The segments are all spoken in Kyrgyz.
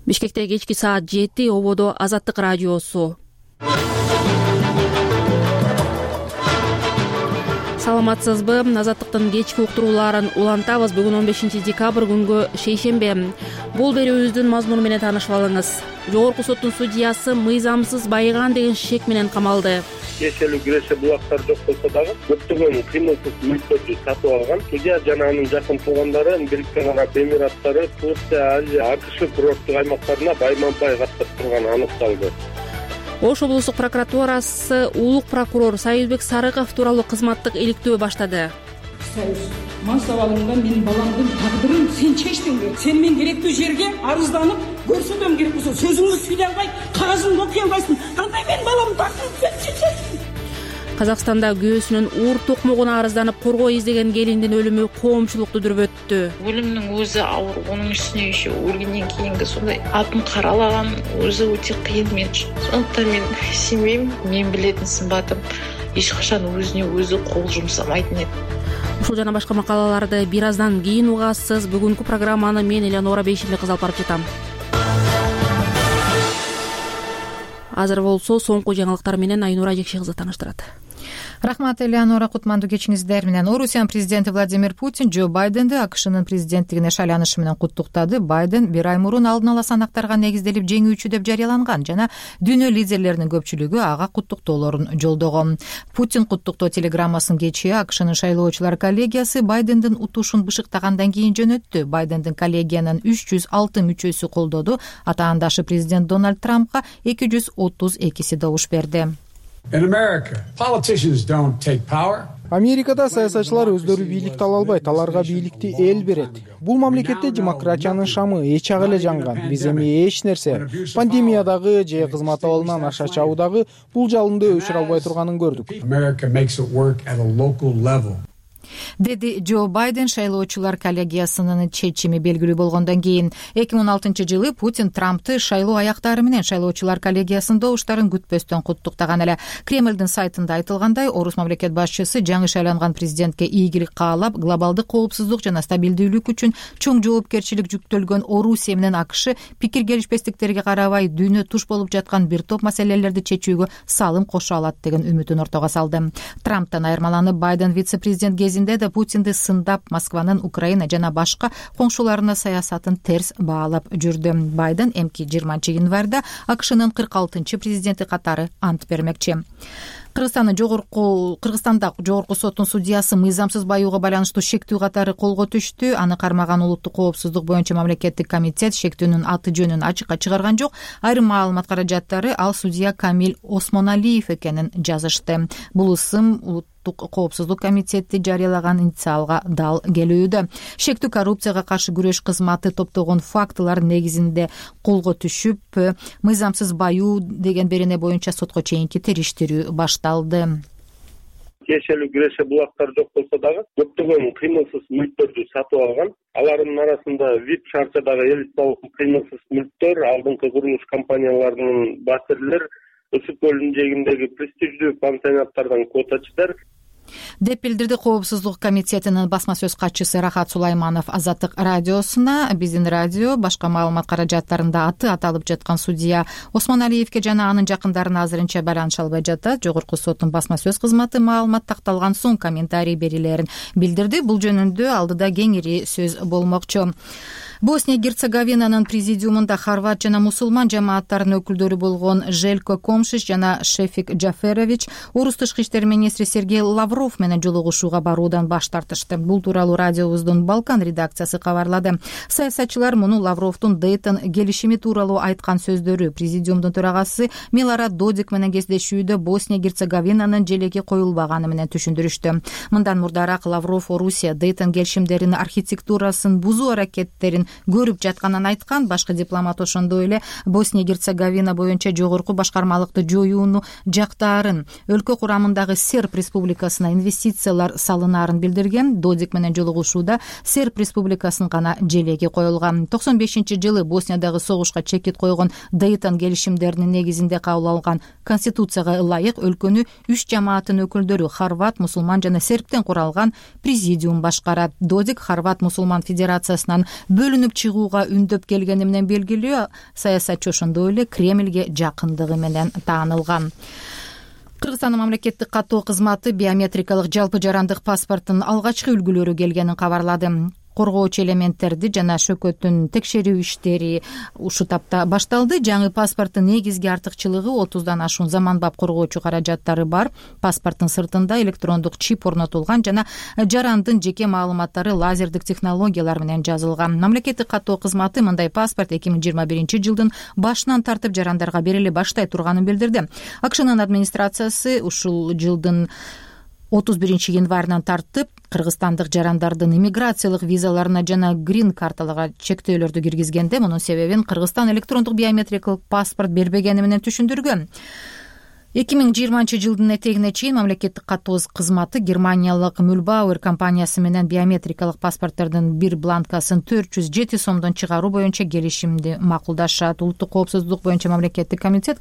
Бишкекте кечки саат 7 ободо Азаттык радиосу. Саламатсызбы? Азаттыктын кечки уктурууларын улантабыз. Бүгүн 15 декабрь күнгө шейшембе. Бул берүүбүздүн мазмуну менен таанышып алыңыз. Жогорку соттун судьясы мыйзамсыз байыган деген шек менен камалды. Кешелүү киреше булактар жок болсо дагы көптөгөн кыймылсыз мүлктөрдү сатып алган. Судья жана анын жакын туугандары Бириккен Араб Эмираттары, Турция, Азия, АКШ курорттук аймактарына байма-бай каттап турганы аныкталды. Ош облустук прокуратурасы улук прокурор Союзбек Сарыков тууралуу кызматтык иликтөө баштады. Союз, мал сабалыңда менин баламдын тагдырын сен чечтиңби? Сен мен керектүү жерге арызданып, көрсөтөм керек болсо сөзүңдү сүйлөй албай, кагазыңды окуй албайсың. Кандай менин баламдын тагдырын сен чечесиң? Казакстанда күйөөсүнүн уур токмогуна арызданып коргоо издеген келиндин өлүмү коомчулукту дүрбөттү. Өлүмдүн өзү ауыр, онун үстүнө еще өлгөндөн кийинки сондай атын каралаган өзү өтө кыйын мен үчүн. Сондуктан мен семьям, мен билетин сымбатым эч качан өзүнө өзү кол жумсамайтын эди. Ушул жана башка макалаларды бир аздан кийин угасыз. Бүгүнкү программаны мен Элеонора Бейшимбек кыз алып барып жатам. Азыр болсо соңку жаңылыктар менен Айнура Жекше кызы тааныштырат. Рахмат, Элеонора. Кутмандуу кечиңиздер менен. Орусиянын президенти Владимир Путин Джо Байденди АКШнын президенттигине шайланышы менен куттуктады. Байден бир ай мурун алдын ала санактарга негизделип жеңүүчү деп жарыяланган жана дүйнө лидерлеринин көпчүлүгү ага куттуктоолорун жолдогон. Путин куттуктоо телеграммасын кечээ АКШнын шайлоочулар коллегиясы Байдендин утушун бышыктагандан кийин жөнөттү. Байдендин коллегиянын 306 мүчөсү колдоду. Атаандашы президент Дональд Трампка 232 добуш берди. Америкада саясатчылар өздөрү бийликти ала албайт, аларга бийликти эл берет. Бул мамлекетте демократиянын шамы эч ак эле жанган. Биз эми эч нерсе пандемиядагы же кызмат абалынан аша чабуудагы бул жалынды өчүрө албай турганын көрдүк, деди Джо Байден шайлоочулар коллегиясынын чечими белгилүү болгондон кийин. 2016-жылы Путин Трампты шайлоо аяктары менен шайлоочулар коллегиясынын добуштарын күтпөстөн куттуктаган эле. Кремлдин сайтында айтылгандай, орус мамлекет башчысы жаңы шайланган президентке ийгилик каалап, глобалдык коопсуздук жана стабилдүүлүк үчүн чоң жоопкерчилик жүктөлгөн Орусия менен АКШ пикир келишпестиктерге карабай дүйнө туш болуп жаткан бир топ маселелерди чечүүгө салым кошо алат деген үмүтүн ортого салды. Трамптан айырмаланып, Байден вице-президент кезинде да Путинди сындап, Москванын Украина жана башка коңшуларына саясатын терс баалап жүрдү. Байден эмки 20 январда АКШнын 46-чы президенти катары ант бермекчи. Кыргызстанда жогорку соттун судьясы мыйзамсыз баюуга байланыштуу шектүү катары колго түштү. Аны кармаган улуттук коопсуздук боюнча мамлекеттик комитет шектүүнүн аты жөнүн ачыкка чыгарган жок. Айрым маалымат каражаттары ал судья Камил Осмоналиев экенин жазышты. Бул ысым улуттук коопсуздук комитети жарыялаган инициалга дал келүүдө. Шектүү коррупцияга каршы күрөш кызматы топтогон фактылар негизинде колго түшүп, мыйзамсыз баюу деген берене боюнча сотко чейинки териштирүү башталды. Кешелүү киреше булактар жок болсо дагы көптөгөн кыймылсыз мүлктөрдү сатып алган. Алардын арасында VIP шарчадагы элиталык кыймылсыз мүлктөр, алдыңкы курулуш компанияларынын батирлер, Өсүк көлүнүн жээгиндеги престиждүү пансионаттардан квотачылар деп билдирди Коопсуздук комитетинин басма сөз катчысы Рахат Сулайманов Азаттык радиосуна. Биздин радио башка маалымат каражаттарында аты аталып жаткан судья Осмоналиевке жана анын жакындарына азырынча байланыша албай жатат. Жогорку соттун басма сөз кызматы маалымат такталган соң комментарий берилерин билдирди. Бул жөнүндө алдыда кеңири сөз болмокчу. Босния-Герцеговинанын президиумунда хорват жана мусулман жамааттарынын өкүлдөрү болгон Желко Комшиш жана Шефик Джаферович орус тышкы иштер министри Сергей Лавров менен жолугушууга баруудан баш тартышты. Бул тууралуу радиобуздун Балкан редакциясы кабарлады. Саясатчылар муну Лавровдун Дейтон келишими тууралуу айткан сөздөрү, президиумдун төрагасы Милорад Додик менен кездешүүдө Босния-Герцеговинанын желеги коюлбаганы менен түшүндүрүштү. Мындан мурдараак Лавров Орусия Дейтон келишимдеринин архитектурасын бузуу аракеттерин көрүп жатканын айткан. Башкы дипломат ошондой эле Босния-Герцеговина боюнча жогорку башкармалыкты жоюуну жактаарын, өлкө курамындагы Серб республикасына инвестициялар салынаарын билдирген. Додик менен жолугушууда Серб республикасынын гана желеги коюлган. 95-жылы Босниядагы согушка чекит койгон Дейтон келишимдеринин негизинде кабыл алган конституцияга ылайык өлкөнү 3 жамааттын өкүлдөрү хорват, мусулман жана сербтен куралган президиум башкарат. Додик хорват мусулман федерациясынан бөлүнүп бөлүнүп чыгууга үндөп келгени менен белгилүү. Саясатчы ошондой эле Кремльге жакындыгы менен таанылган. Кыргызстандын мамлекеттик каттоо кызматы биометрикалык жалпы жарандык паспорттун алгачкы үлгүлөрү келгенин кабарлады. Коргоочу элементтерди жана шөкөтүн текшерүү иштери ушул тапта башталды. Жаңы паспорттун негизги артыкчылыгы 30дан ашуун заманбап коргоочу каражаттары бар. Паспорттун сыртында электрондук чип орнотулган жана жарандын жеке маалыматтары лазердик технологиялар менен жазылган. Мамлекеттик каттоо кызматы мындай паспорт 2021-жылдын башынан тартып жарандарга бериле баштай турганын билдирди. АКШнын администрациясы ушул жылдын 31-январынан тартып кыргызстандык жарандардын иммиграциялык визаларына жана грин карталарга чектөөлөрдү киргизгенде мунун себебин Кыргызстан электрондук биометрикалык паспорт бербегени менен түшүндүргөн. 2020-жылдын этегине чейин мамлекеттик каттоо кызматы Германиялык Mühlbauer компаниясы менен биометрикалык паспорттордун бир бланкасын 407 сомдон чыгаруу боюнча келишимди макулдашат. Улуттук коопсуздук боюнча мамлекеттик комитет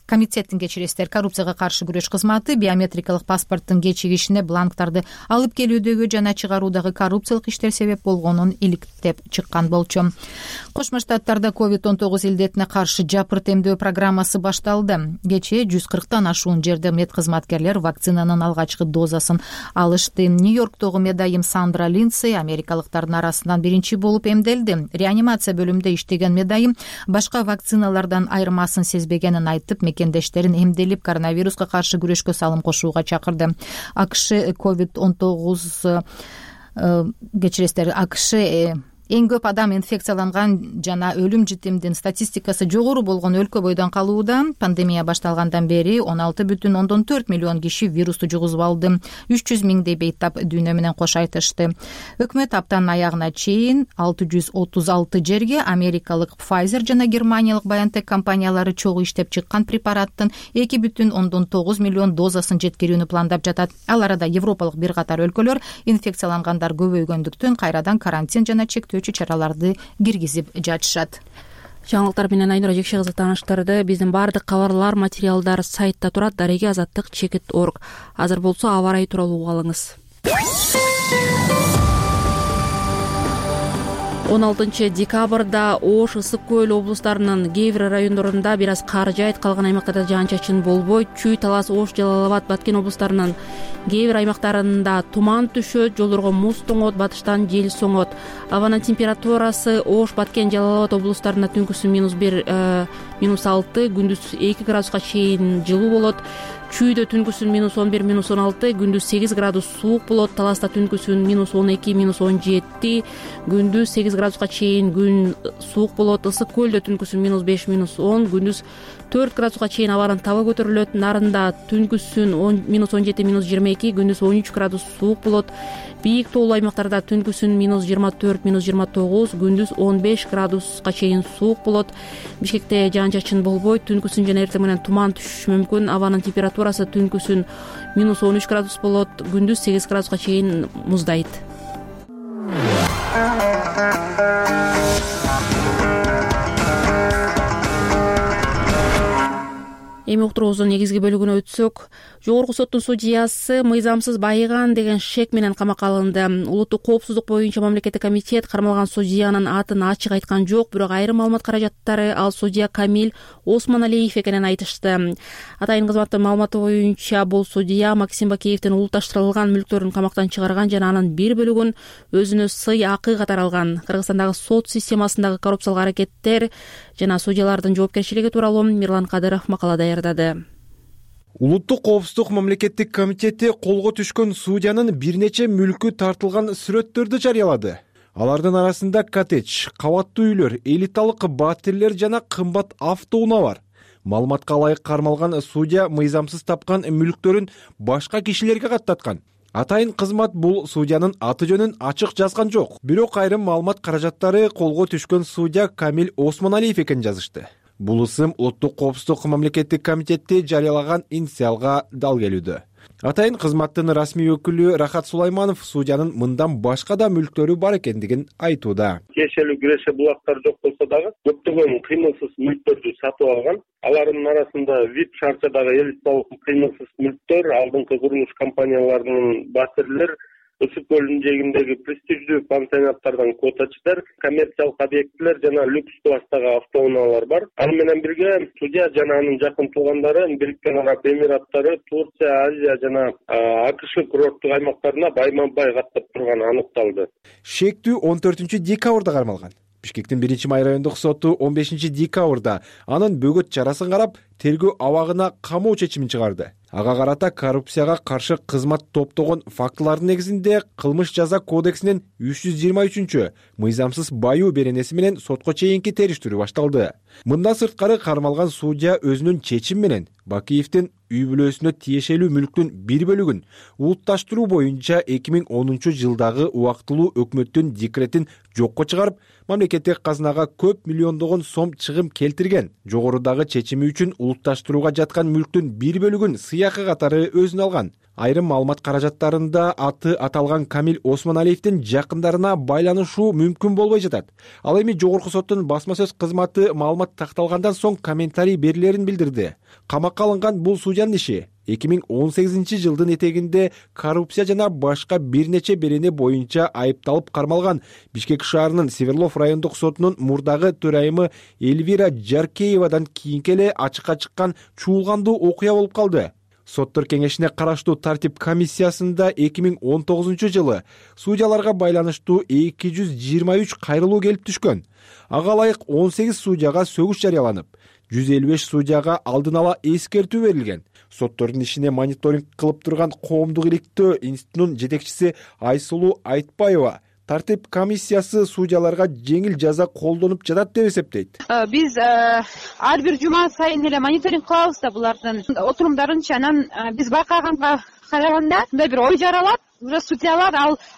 комитеттин коррупцияга каршы күрөш кызматы биометрикалык паспорттун кечигишине бланктарды алып келүүдөгү жана чыгаруудагы коррупциялык иштер себеп болгонун иликтеп чыккан болчу. Кошмо Штаттарда COVID-19 илдетине каршы жапырт эмдөө программасы башталды. Кечээ 140тан ашуун жерде медкызматкерлер вакцинанын алгачкы дозасын алышты. Нью-Йорктогу медайым Сандра Линдсей америкалыктардын арасынан биринчи болуп эмделди. Реанимация бөлүмүндө иштеген медайым башка вакциналардан айырмасын сезбегенин айтып, мекендештерин эмделип коронавируска каршы күрөшкө салым кошууга чакырды. АКШ COVID-19 АКШ эң көп адам инфекцияланган жана өлүм житимдин статистикасы жогору болгон өлкө бойдон калууда. Пандемия башталгандан бери 16,4 миллион киши вирусту жугузуп алды. 300 миңдей бейтап дүйнө менен кош айтышты. Өкмөт аптанын аягына чейин 636 жерге америкалык Pfizer жана германиялык BioNTech компаниялары чогуу иштеп чыккан препараттын 2,9 миллион дозасын жеткирүүнү пландап жатат. Ал арада европалык бир катар өлкөлөр инфекциялангандар көбөйгөндүктөн кайрадан карантин жана чектөө чараларды киргизип жатышат. Жаңылыктар менен Айнура Жекше кызы тааныштырды. Биздин баардык кабарлар, материалдар сайтта турат. Дареги азаттык чекит.org. Азыр болсо аба ырайы тууралуу угуп алыңыз. 16 декабрда Ош, Ысык Көл облустарынын кээ бир райондорунда бир аз кар жаайт, калган аймактарда жаан-чачын болбойт. Чүй, Талас, Ош, Жалал Абад, Баткен облустарынын кээ бир аймактарында туман түшөт, жолдорго муз тоңот, батыштан жел соңот. Абанын температурасы Ош, Баткен, Жалал Абад облустарында түнкүсүн -1, -6, күндүз 2 градуска чейин жылуу болот. Чүйдө түнкүсүн -11, -16, күндүз 8 градус суук болот. Таласта түнкүсүн -12, -17, күндүз 8 градуска чейин күн суук болот. Ысык Көлдө түнкүсүн -5, -10, күндүз 4 градуска чейин абанын табы көтөрүлөт. Нарында түнкүсүн -17, -22, күндүз 13 градус суук болот. Бийик тоолуу аймактарда түнкүсүн -24, -29, күндүз 15 градуска чейин суук болот. Бишкекте жаан-чачын болбойт. Түнкүсүн жана эртең менен туман түшүшү мүмкүн. Абанын температурасы түнкүсүн -13 градус болот, күндүз 8 градуска чейин муздайт. Эми уктуруубуздун негизги бөлүгүнө өтсөк, жогорку соттун судьясы мыйзамсыз байыган деген шек менен камакка алынды. Улуттук коопсуздук боюнча мамлекеттик комитет кармалган судьянын атын ачык айткан жок, бирок айрым маалымат каражаттары ал судья Камил Осмоналиев экенин айтышты. Атайын кызматтын маалыматы боюнча бул судья Максим Бакеевдин улутташтырылган мүлктөрүн камактан чыгарган жана анын бир бөлүгүн өзүнө сый акы катары алган. Кыргызстандагы сот системасындагы коррупциялык аракеттер жана судьялардын жоопкерчилиги тууралуу Мирлан Кадыров макала даярдады. Улуттук коопсуздук мамлекеттик комитети колго түшкөн судьянын бир нече мүлкү тартылган сүрөттөрдү жарыялады. Алардын арасында коттедж, кабаттуу үйлөр, элиталык батирлер жана кымбат автоунаа бар. Маалыматка ылайык кармалган судья мыйзамсыз тапкан мүлктөрүн башка кишилерге каттаткан. Атайын кызмат бул судьянын аты жөнүн ачык жазган жок. Бирок айрым маалымат каражаттары колго түшкөн судья Камил Осмоналиев экенин жазышты. Бул ысым Улуттук коопсуздук мамлекеттик комитети жарыялаган инициалга дал келүүдө. Атайын кызматтын расмий өкүлү Рахат Сулайманов судьянын мындан башка да мүлктөрү бар экендигин айтууда. Тиешелүү киреше булактар жок болсо дагы көптөгөн кыймылсыз мүлктөрдү сатып алган. Алардын арасында VIP шарчадагы элиталык кыймылсыз мүлктөр, алдыңкы курулуш компанияларынын батирлер, Ысык көлүнүн жээгиндеги престиждүү пансионаттардан квотачылар, коммерциялык объектилер жана люкс класстагы автоунаалар бар. Аны менен бирге судья жана анын жакын туугандары Бириккен Араб Эмираттары, Турция, Азия жана АКШ курорттук аймактарына байма-бай каттап турганы аныкталды. Шектүү 14 декабрда кармалган. Бишкектин 1-Май райондук соту 15 декабрда анын бөгөт чарасын карап, тергөө абагына камоо чечимин чыгарды. Ага карата коррупцияга каршы кызмат топтогон фактылардын негизинде Кылмыш жаза кодексинин 323 мыйзамсыз баюу беренеси менен сотко чейинки териштирүү башталды. Мындан сырткары кармалган судья өзүнүн чечими менен Бакиевдин үй бүлөсүнө тиешелүү мүлктүн бир бөлүгүн улутташтыруу боюнча 2010 жылдагы убактылуу өкмөттүн декретин жокко чыгарып, мамлекеттик казынага көп миллиондогон сом чыгым келтирген. Жогорудагы чечими үчүн улутташтырууга жаткан мүлктүн бир бөлүгүн сыйакы катары өзүнө алган. Айрым маалымат каражаттарында аты аталган Камил Осмоналиевдин жакындарына байланышуу мүмкүн болбой жатат. Ал эми жогорку соттун басма сөз кызматы маалымат такталгандан соң комментарий берилерин билдирди. Камакка алынган бул судьянын иши 2018 жылдын этегинде коррупция жана башка бир нече берене боюнча айыпталып кармалган Бишкек шаарынын Северлов райондук сотунун мурдагы төрайымы Эльвира Жаркеевадан кийинки эле ачыкка чыккан чуулгандуу окуя болуп калды. Соттор кеңешине караштуу тартип комиссиясында 2019 жылы судьяларга байланыштуу 223 кайрылуу келип түшкөн. Ага ылайык 18 судьяга сөгүш жарыяланып, 155 судьяга алдын ала эскертүү берилген. Соттордун ишине мониторинг кылып турган Коомдук иликтөө институтунун жетекчиси Айсулуу Айтпаева тартип комиссиясы судьяларга жеңил жаза колдонуп жатат деп эсептейт. Биз ар бир жума сайын эле мониторинг кылабыз да булардын отурумдарынчы. Анан биз байкаганга караганда мындай бир ой жаралат. Уже судьялар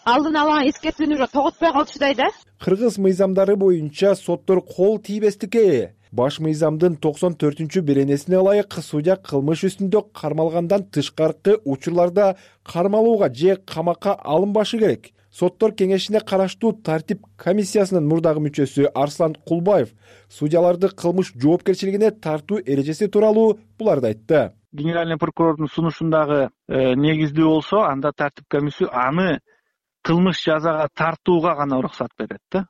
алдын ала эскертүүнү уже тоготпой калыштай да. Кыргыз мыйзамдары боюнча соттор кол тийбестикке баш мыйзамдын 94 беренесине ылайык судья кылмыш үстүндө кармалгандан тышкаркы учурларда кармалууга же камакка алынбашы керек. Соттор кеңешине караштуу тартип комиссиясынын мурдагы мүчөсү Арслан Кулбаев судьяларды кылмыш жоопкерчилигине тартуу эрежеси тууралуу буларды айтты. Генеральный прокурордун сунушундагы негиздүү болсо, анда тартип комиссия аны кылмыш жазага тартууга гана уруксат берет да.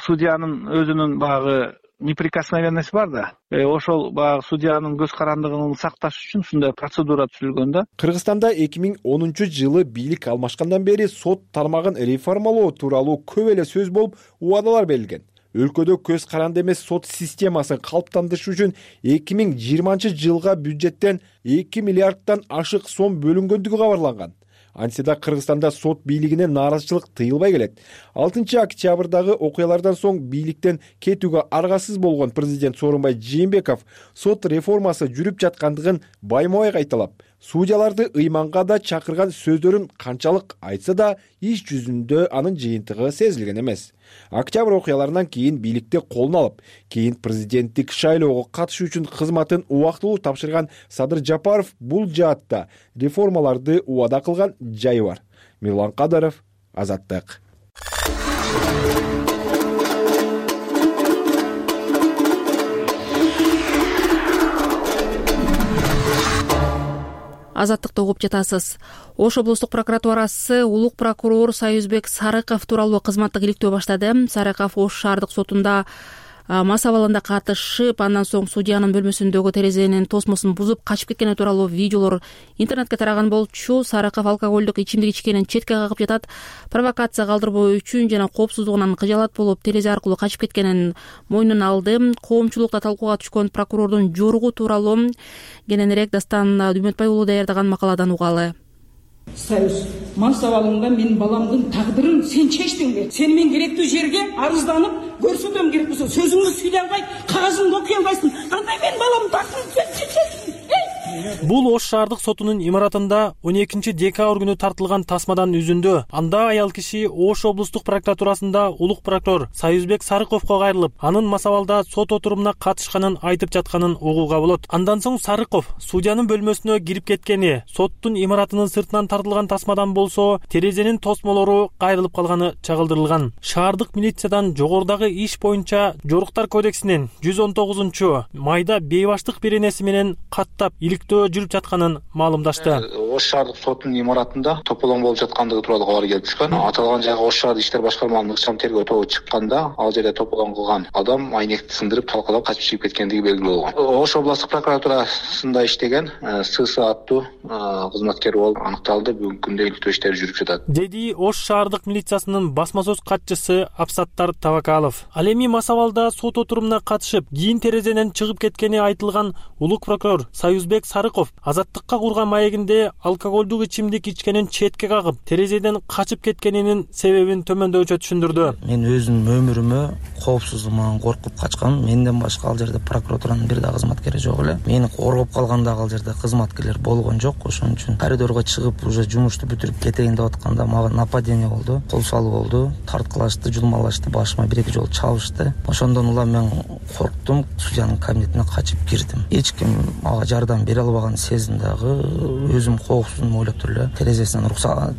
Судьянын өзүнүн багы неприкосновенность бар да. Ошол багы судьянын көз карандыгын сакташ үчүн ушундай процедура түзүлгөн да. Кыргызстанда 2010 жылы бийлик алмашкандан бери сот тармагын реформалоо тууралуу көп эле сөз болуп, убадалар берилген. Өлкөдө көз каранды эмес сот системасын калыптандырыш үчүн 2020 жылга бюджеттен 2 миллиарддан ашык сом бөлүнгөндүгү кабарланган. Антида Кыргызстанда сот бийлигине нааразычылык тыйылбай келет. 6 октябрдагы окуялардан соң бийликтен кетүүгө аргасыз болгон президент Сооронбай Жээнбеков сот реформасы жүрүп жаткандыгын байма-бай кайталап, судьяларды ыйманга да чакырган сөздөрүн канчалык айтса да иш жүзүндө анын жыйынтыгы сезилген эмес. Октябрь окуяларынан кийин бийликти колуна алып, кийин президенттик шайлоого катышуу үчүн кызматын убактылуу тапшырган Садыр Жапаров бул жаатта реформаларды убада кылган жайы бар. Мирлан Кадаров, Азаттык. Азаттыкты угуп жатасыз. Ош облустук прокуратурасы улук прокурор Союзбек Сарыков тууралуу кызматтык иликтөө баштады. Сарыков Ош шаардык сотунда мас абалында катышып, андан соң судьянын бөлмөсүндөгү терезенин тосмосун бузуп качып кеткени тууралуу видеолор интернетке тараган болчу. Сарыков алкоголдук ичимдик ичкенин четке кагып жатат. Провокация калтырбоо үчүн жана коопсуздугунан кыжаалат болуп, терезе аркылуу качып кеткенин мойнуна алды. Коомчулукта талкууга түшкөн прокурордун жоругу тууралуу кененирээк Дастан Дүмөтбай уулу даярдаган макаладан угалы. Союз, мас абалыңда менин баламдын тагдырын сен чечтиңби? Сени мен керектүү жерге арызданып көрсөтөм керек болсо сөзүңдү сүйлөй албай, кагазыңды окуй албайсың. Кандай менин баламдын тагдырын сен чечесиң? Бул Ош шаардык сотунун имаратында 12 декабрь күнү тартылган тасмадан үзүндү. Анда аял киши Ош облустук прокуратурасында улук прокурор Союзбек Сарыковго кайрылып, анын мас абалда сот отурумуна катышканын айтып жатканын угууга болот. Андан соң Сарыков судьянын бөлмөсүнө кирип кеткени, соттун имаратынын сыртынан тартылган тасмадан болсо терезенин тосмолору кайрылып калганы чагылдырылган. Шаардык милициядан жогорудагы иш боюнча Жоруктар кодексинин 119 майда бейбаштык беренеси менен каттап иликтөө иликтөө жүрүп жатканын маалымдашты. Ош шаардык сотунун имаратында тополоң болуп жаткандыгы тууралуу кабар келип түшкөн. Аталган жайга Ош шаардык иштер башкармалыгынын ыкчам тергөө тобу чыкканда, ал жерде тополоң кылган адам айнекти сындырып талкалап качып чыгып кеткендиги белгилүү болгон. Ош областык прокуратурасында иштеген СС аттуу кызматкер болуп аныкталды. Бүгүнкү күндө иликтөө иштери жүрүп жатат, деди Ош шаардык милициясынын басма сөз катчысы Абсаттар Табакалов. Ал эми масабалда сот отурумуна катышып, кийин терезеден чыгып кеткени айтылган улук прокурор Союзбек Сарыков азаттыкка курган маегинде алкоголдук ичимдик ичкенин четке кагып, терезеден качып кеткенинин себебин төмөндөчө түшүндүрдү. Мен өзүмдүн өмүрүмө коопсуздугуман коркуп качкан. Менден башка ал жерде прокуратуранын бир да кызматкери жок эле. Мени коргоп калган дагы ал жерде кызматкерлер болгон жок. Ошон үчүн коридорго чыгып, уже жумушту бүтүрүп кетейин деп атканда мага нападение болду, кол салуу болду, тарткылашты, жулмалашты, башыма 1-2 жолу чабышты. Ошондон улам мен корктум, судьянын кабинетине качып кирдим. Эч ким мага жардам бере албаган сезим дагы, өзүм коопсуздум ойлоп туруп эле терезесинен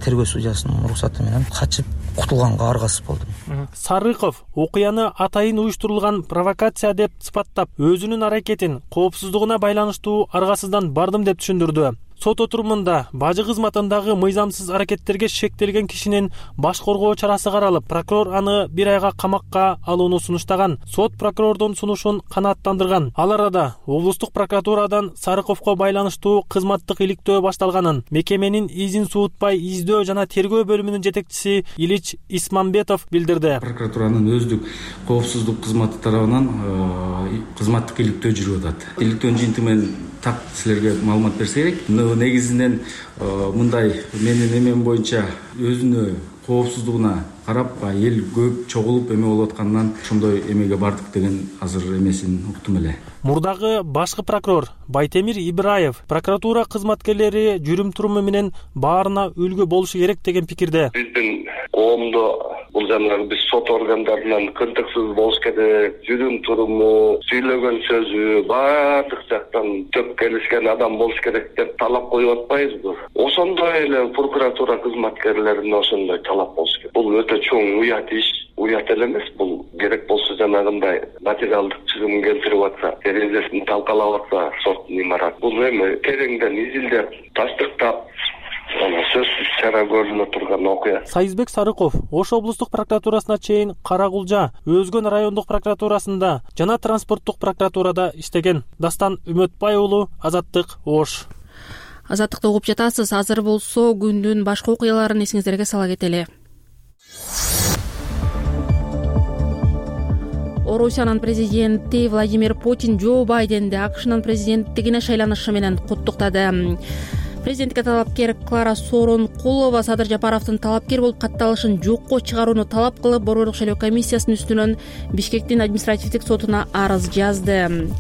тергөө судьясынын уруксаты менен качып кутулганга аргасыз болдум. Сарыков окуяны атайын уюштурулган провокация деп сыпаттап, өзүнүн аракетин коопсуздугуна байланыштуу аргасыздан бардым деп түшүндүрдү. Сот отурумунда бажы кызматындагы мыйзамсыз аракеттерге шектелген кишинин баш коргоо чарасы каралып, прокурор аны 1 айга камакка алууну сунуштаган. Сот прокурордун сунушун канааттандырган. Ал арада облустук прокуратурадан Сарыковго байланыштуу кызматтык иликтөө башталганын мекеменин изин суутпай издөө жана тергөө бөлүмүнүн жетекчиси Илич Исмамбетов билдирди. Прокуратуранын өздүк коопсуздук кызматы тарабынан кызматтык иликтөө жүрүп атат. Иликтөөнүн жыйынтыгы менен так силерге маалымат берсе керек. Негизинен мындай менин эмем боюнча өзүнө коопсуздугуна карап эл көп чогулуп эме болуп аткандан ошондой эмеге бардык деген азыр эмесин уктум эле. Мурдагы башкы прокурор Байтемир Ибраев прокуратура кызматкерлери жүрүм туруму менен баарына үлгү болушу керек деген пикирде. Биздин коомдо бул жанагы биз сот органдарынан кыртыксыз болуш керек, жүрүм туруму, сүйлөгөн сөзү баардык жактан төп келишкен адам болуш керек деп талап коюп атпайбызбы? Ошондой эле прокуратура кызматкерлерине ошондой талап болуш керек. Бул өтө чоң уят иш, уят эле эмес. Бул керек болсо жанагындай материалдык чыгым келтирип атса, терезесин талкалап атса соттун имараты. Бул эми тереңден изилдеп, таштыктап сөзсүз чара көрүнө турган окуя. Союзбек Сарыков Ош облустук прокуратурасына чейин Карагулжа, Өзгөн райондук прокуратурасында жана транспорттук прокуратурада иштеген. Дастан Үмөтбай уулу, Азаттык, Ош. Азаттыкты угуп жатасыз. Азыр болсо күндүн башка окуяларын эсиңиздерге сала кетели. Орусиянын президенти Владимир Путин Джо Байденди АКШнын президенттигине шайланышы менен куттуктады. Президентке талапкер Клара Соронкулова Садыр Жапаровдун талапкер болуп катталышын жокко чыгарууну талап кылып, Борбордук шайлоо комиссиясынын үстүнөн Бишкектин административдик сотуна арыз жазды.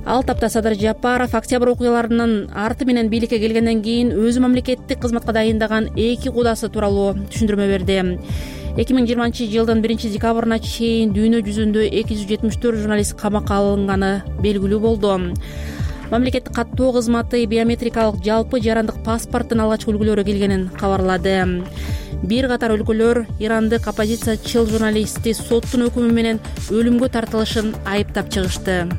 Ал тапта Садыр Жапаров октябрь окуяларынын арты менен бийликке келгенден кийин өзү мамлекеттик кызматка дайындаган 2 кудасы тууралуу түшүндүрмө берди. 2020-жылдын 1-декабрына чейин дүйнө жүзүндө 274 журналист камакка алынганы белгилүү болду. Мамлекеттик каттоо кызматы биометрикалык жалпы жарандык паспорттун алгачкы үлгүлөрү келгенин кабарлады. Бир катар өлкөлөр ирандык оппозициячыл журналистти соттун өкүмү менен өлүмгө тартылышын айыптап чыгышты.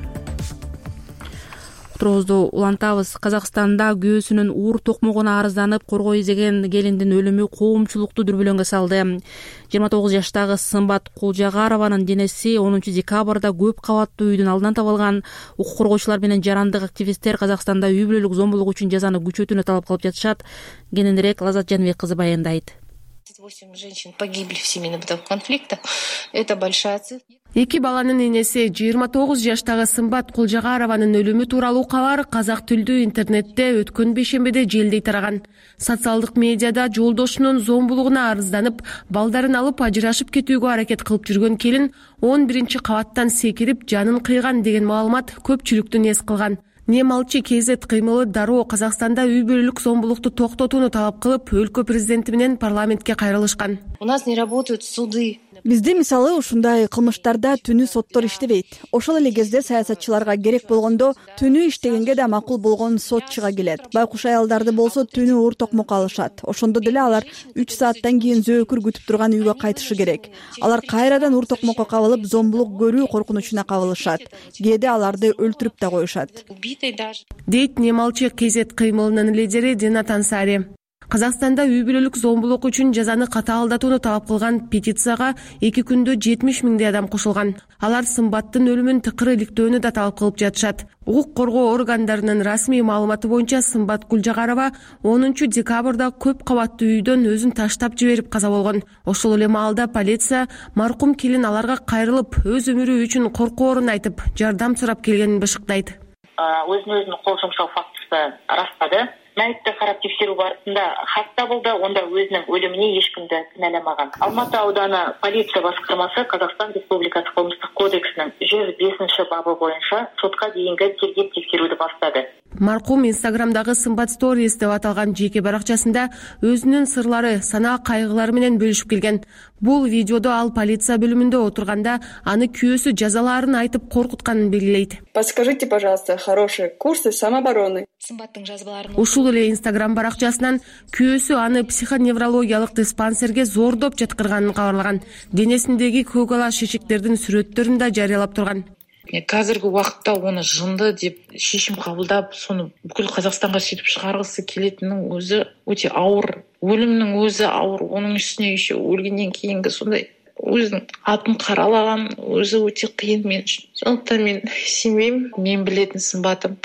Турубузду улантабыз. Казакстанда күйөөсүнүн уур токмогуна арызданып коргоо издеген келиндин өлүмү коомчулукту дүрбөлөңгө салды. 29 жаштагы Сымбат Кулжагарованын денеси 10 декабрда көп кабаттуу үйдүн алдынан табылган. Укук коргоочулар менен жарандык активисттер Казакстанда үй бүлөлүк зомбулук үчүн жазаны күчөтүүнү талап кылып жатышат. Кененирээк Лазат Жаныбек кызы баяндайт. 8 женщин погибли в семейно-бытовых конфликтах. Это большая цифра. 2 баланын энеси 29 жаштагы Сымбат Кулжагарованын өлүмү тууралуу кабар казак тилдүү интернетте өткөн бейшембиде желдей тараган. Социалдык медиада жолдошунун зомбулугуна арызданып, балдарын алып ажырашып кетүүгө аракет кылып жүргөн келин 11 кабаттан секирип жанын кыйган деген маалымат көпчүлүктүн эс кылган. Немалчы КЗ кыймылы дароо Казакстанда үй бүлөлүк зомбулукту токтотууну талап кылып, өлкө президенти менен парламентке кайрылышкан. У нас не работают суды. Бизде мисалы ушундай кылмыштарда түнү соттор иштебейт. Ошол эле кезде саясатчыларга керек болгондо түнү иштегенге да макул болгон сот чыга келет. Байкуш аялдарды болсо түнү оор токмок алышат. Ошондо деле алар 3 сааттан кийин зөөкүр күтүп турган үйгө кайтышы керек. Алар кайрадан оор токмокко кабылып, зомбулук көрүү коркунучуна кабылышат. Кээде аларды өлтүрүп да коюшат. Дейт Немалчы КЗ кыймылынын лидери Динат Ансари. Казакстанда үй бүлөлүк зомбулук үчүн жазаны катаалдатууну талап кылган петицияга 2 күндө 70 миңдей адам кошулган. Алар Сымбаттын өлүмүн тыкыр иликтөөнү да талап кылып жатышат. Укук коргоо органдарынын расмий маалыматы боюнча Сымбат Кулжагарова 10 декабрда көп кабаттуу үйдөн өзүн таштап жиберип каза болгон. Ошол эле маалда полиция маркум келин аларга кайрылып, өз өмүрү үчүн коркоорун айтып, жардам сурап келгенин бышыктайт. Өзүнө кол жумшоо фактысы растады. Мәйитти карап текшерүү барысында хатта болду, онда өзүнүн өлүмүнө эч кимди кыналамаган. Алматы ауданы полиция баскармасы Казакстан Республикасы Коомдук кодексинин 105 бабы боюнча сотко дейинки тергеп текшерүүдү баштады. Маркум Инстаграмдагы Сымбат Stories деп аталган жеке баракчасында өзүнүн сырлары, санаа кайгылары менен бөлүшүп келген. Бул видеодо ал полиция бөлүмүндө отурганда аны күйөөсү жазалаарын айтып коркутканын белгилейт. Подскажите, пожалуйста, хорошие курсы самообороны. Сымбаттын жазбаларын Ушул эле Инстаграм баракчасынан күйөөсү аны психоневрологиялык диспансерге зордоп жаткырганын кабарлаган. Денесиндеги көк ала шешектердин сүрөттөрүн да жарыялап турган. Казыркы убакытта оны жынды деп шешим кабылдап, сону бүкүл Казакстанга сүйтүп чыгаргысы келетинин өзү өтө ауыр. Өлүмнүн өзү ауыр. Онун үстүнө еще өлгөндөн кийинки сондай өзүнүн атын каралаган өзү өтө кыйын мен үчүн. Сондуктан мен сенбейм, мен билетин Сымбатым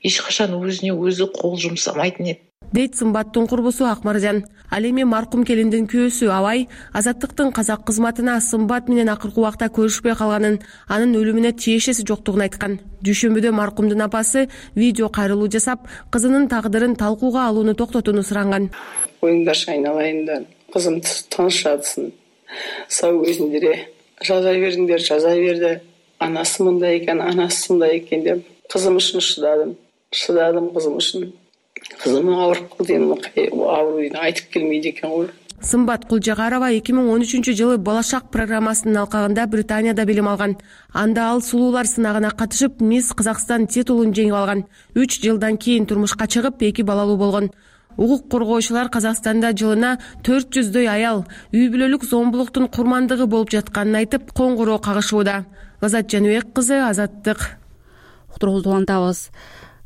эч качан өзүнө өзү кол жумсамайтын эди. Дейт Сымбаттын курбусу Акмаржан. Ал эми маркум келиндин күйөөсү Абай Азаттыктын казак кызматына Сымбат менен акыркы убакта көрүшпөй калганын, анын өлүмүнө тиешеси жоктугун айткан. Дүйшөмбүдө маркумдун апасы видео кайрылуу жасап, кызынын тагдырын талкууга алууну токтотууну суранган. Оюңдар айналайын да, кызым тыныч жатсын. Сау өзүңдер жаза бериңдер, жаза берди. Анасы мындай экен, анасы мындай экен деп кызым үчүн шыдадым кызым үчүн. Кызым ауырып калды, ооруйну айтып келмейди экен го. Сымбат Кулжагарова 2013 жылы Болашак программасынын алкагында Британияда билим алган. Анда ал сулуулар сынагына катышып, Мисс Казакстан титулун жеңип алган. 3 жылдан кийин турмушка чыгып, 2 балалуу болгон. Укук коргоочулар Казакстанда жылына 400дөй аял үй бүлөлүк зомбулуктун курмандыгы болуп жатканын айтып, коңгуроо кагышууда. Азат Жаныбек кызы, Азаттык. Уктуруубузду улантабыз.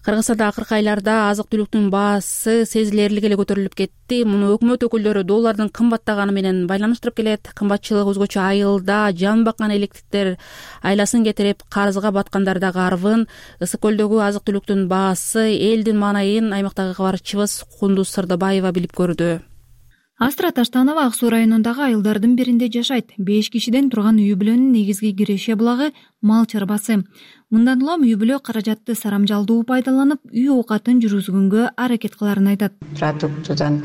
Кыргызстанда акыркы айларда азык-түлүктүн баасы сезилерлик эле көтөрүлүп кетти. Муну өкмөт өкүлдөрү доллардын кымбаттаганы менен байланыштырып келет. Кымбатчылык өзгөчө айылда жан баккан электиктер айласын кетирип, карызга баткандар да карбын. Ысык көлдөгү азык-түлүктүн баасы, элдин маанайын аймактагы кабарчыбыз Кундуз Сырдыбаева билип көрдү. Астра Таштанова Ак Суу районундагы айылдардын биринде жашайт. 5 кишиден турган үй бүлөнүн негизги киреше булагы мал чарбасы. Мындан улам үй бүлө каражатты сарамжалдуу пайдаланып, үй оокатын жүргүзгөнгө аракет кыларын айтат. Продуктудан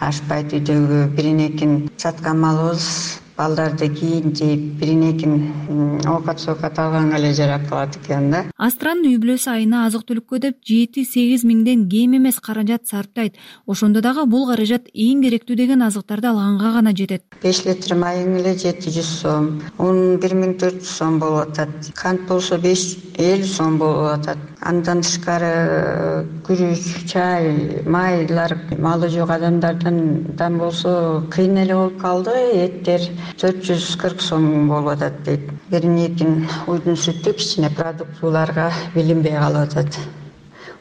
ашпайт, үйдөгү биринекин саткан малыбыз балдарды кийин жеп, биринекин оокат алганга эле жарап калат экен да. Астранын үй бүлөсү айына азык-түлүккө деп 7-8 миңден кем эмес каражат сарптайт. Ошондо дагы бул каражат эң керектүү деген азыктарды алганга гана жетет. 5 литр майың эле 700 сом, un 1400 сом болуп атат. Кант болсо 50 сом болуп атат. Андан тышкары күрүч, чай, майлар малы жок адамдардан болсо кыйын эле болуп калды. Эттер 440 сом болуп атат дейт. Биринекин уйдун сүтү кичине продуктууларга билинбей калып атат.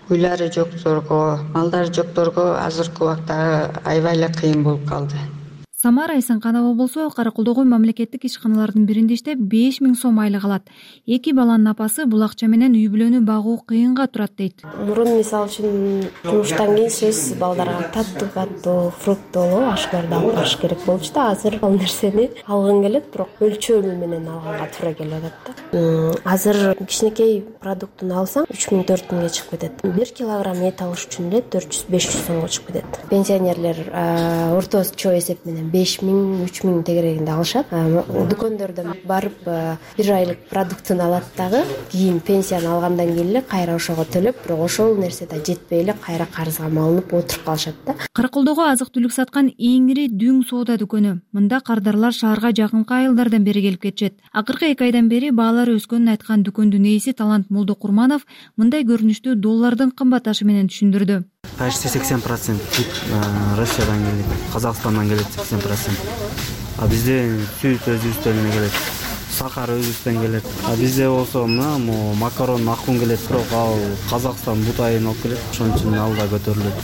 Уйлары жокторго, малдары жокторго азыркы убакта аябай эле кыйын болуп калды. Самара Эсенканова болсо Каракулдогу мамлекеттик ишканалардын биринде иштеп 5000 сом айлык алат. 2 баланын апасы бул акча менен үй бүлөнү багуу кыйынга турат дейт. Мурун мисалы үчүн жумуштан кийин сөз балдарга таттуу, фруктуу ашкарды алып барыш керек болчу да. Азыр ал нерсени алгың келет, бирок өлчөмү менен алганга туура келип атат да. Азыр кичинекей продуктун алсаң 3000-4000ге чыгып кетет. 1 килограмм эт алыш үчүн эле 400-500 сомго чыгып кетет. Пенсионерлер орточо эсеп менен 5000 3000 тегерегинде алышат. Дүкөндөрдөн барып 1 айлык продуктун алат дагы кийин пенсияны алгандан кийин эле кайра ошого төлөп, бирок ошол нерсе да жетпей эле кайра карызга малынып отуруп калышат да. Караколдогу азык-түлүк саткан эң ири Дүң соода дүкөнү. Мында кардарлар шаарга жакынкы айылдардан бери келип кетишет. Акыркы 2 айдан бери баалары өскөнүн айткан дүкөндүн ээси Талант Молдокурманов мындай көрүнүштү доллардын кымбатташы менен түшүндүрдү. Почти 80% Россиядан келет, Казакстандан келет 80%. А бизде сүт өзүбүздөн келет, сахар өзүбүздөн келет. А бизде болсо мына макарон акун келет, бирок ал Казакстан бутайын алып келет, ошон үчүн ал да көтөрүлөт.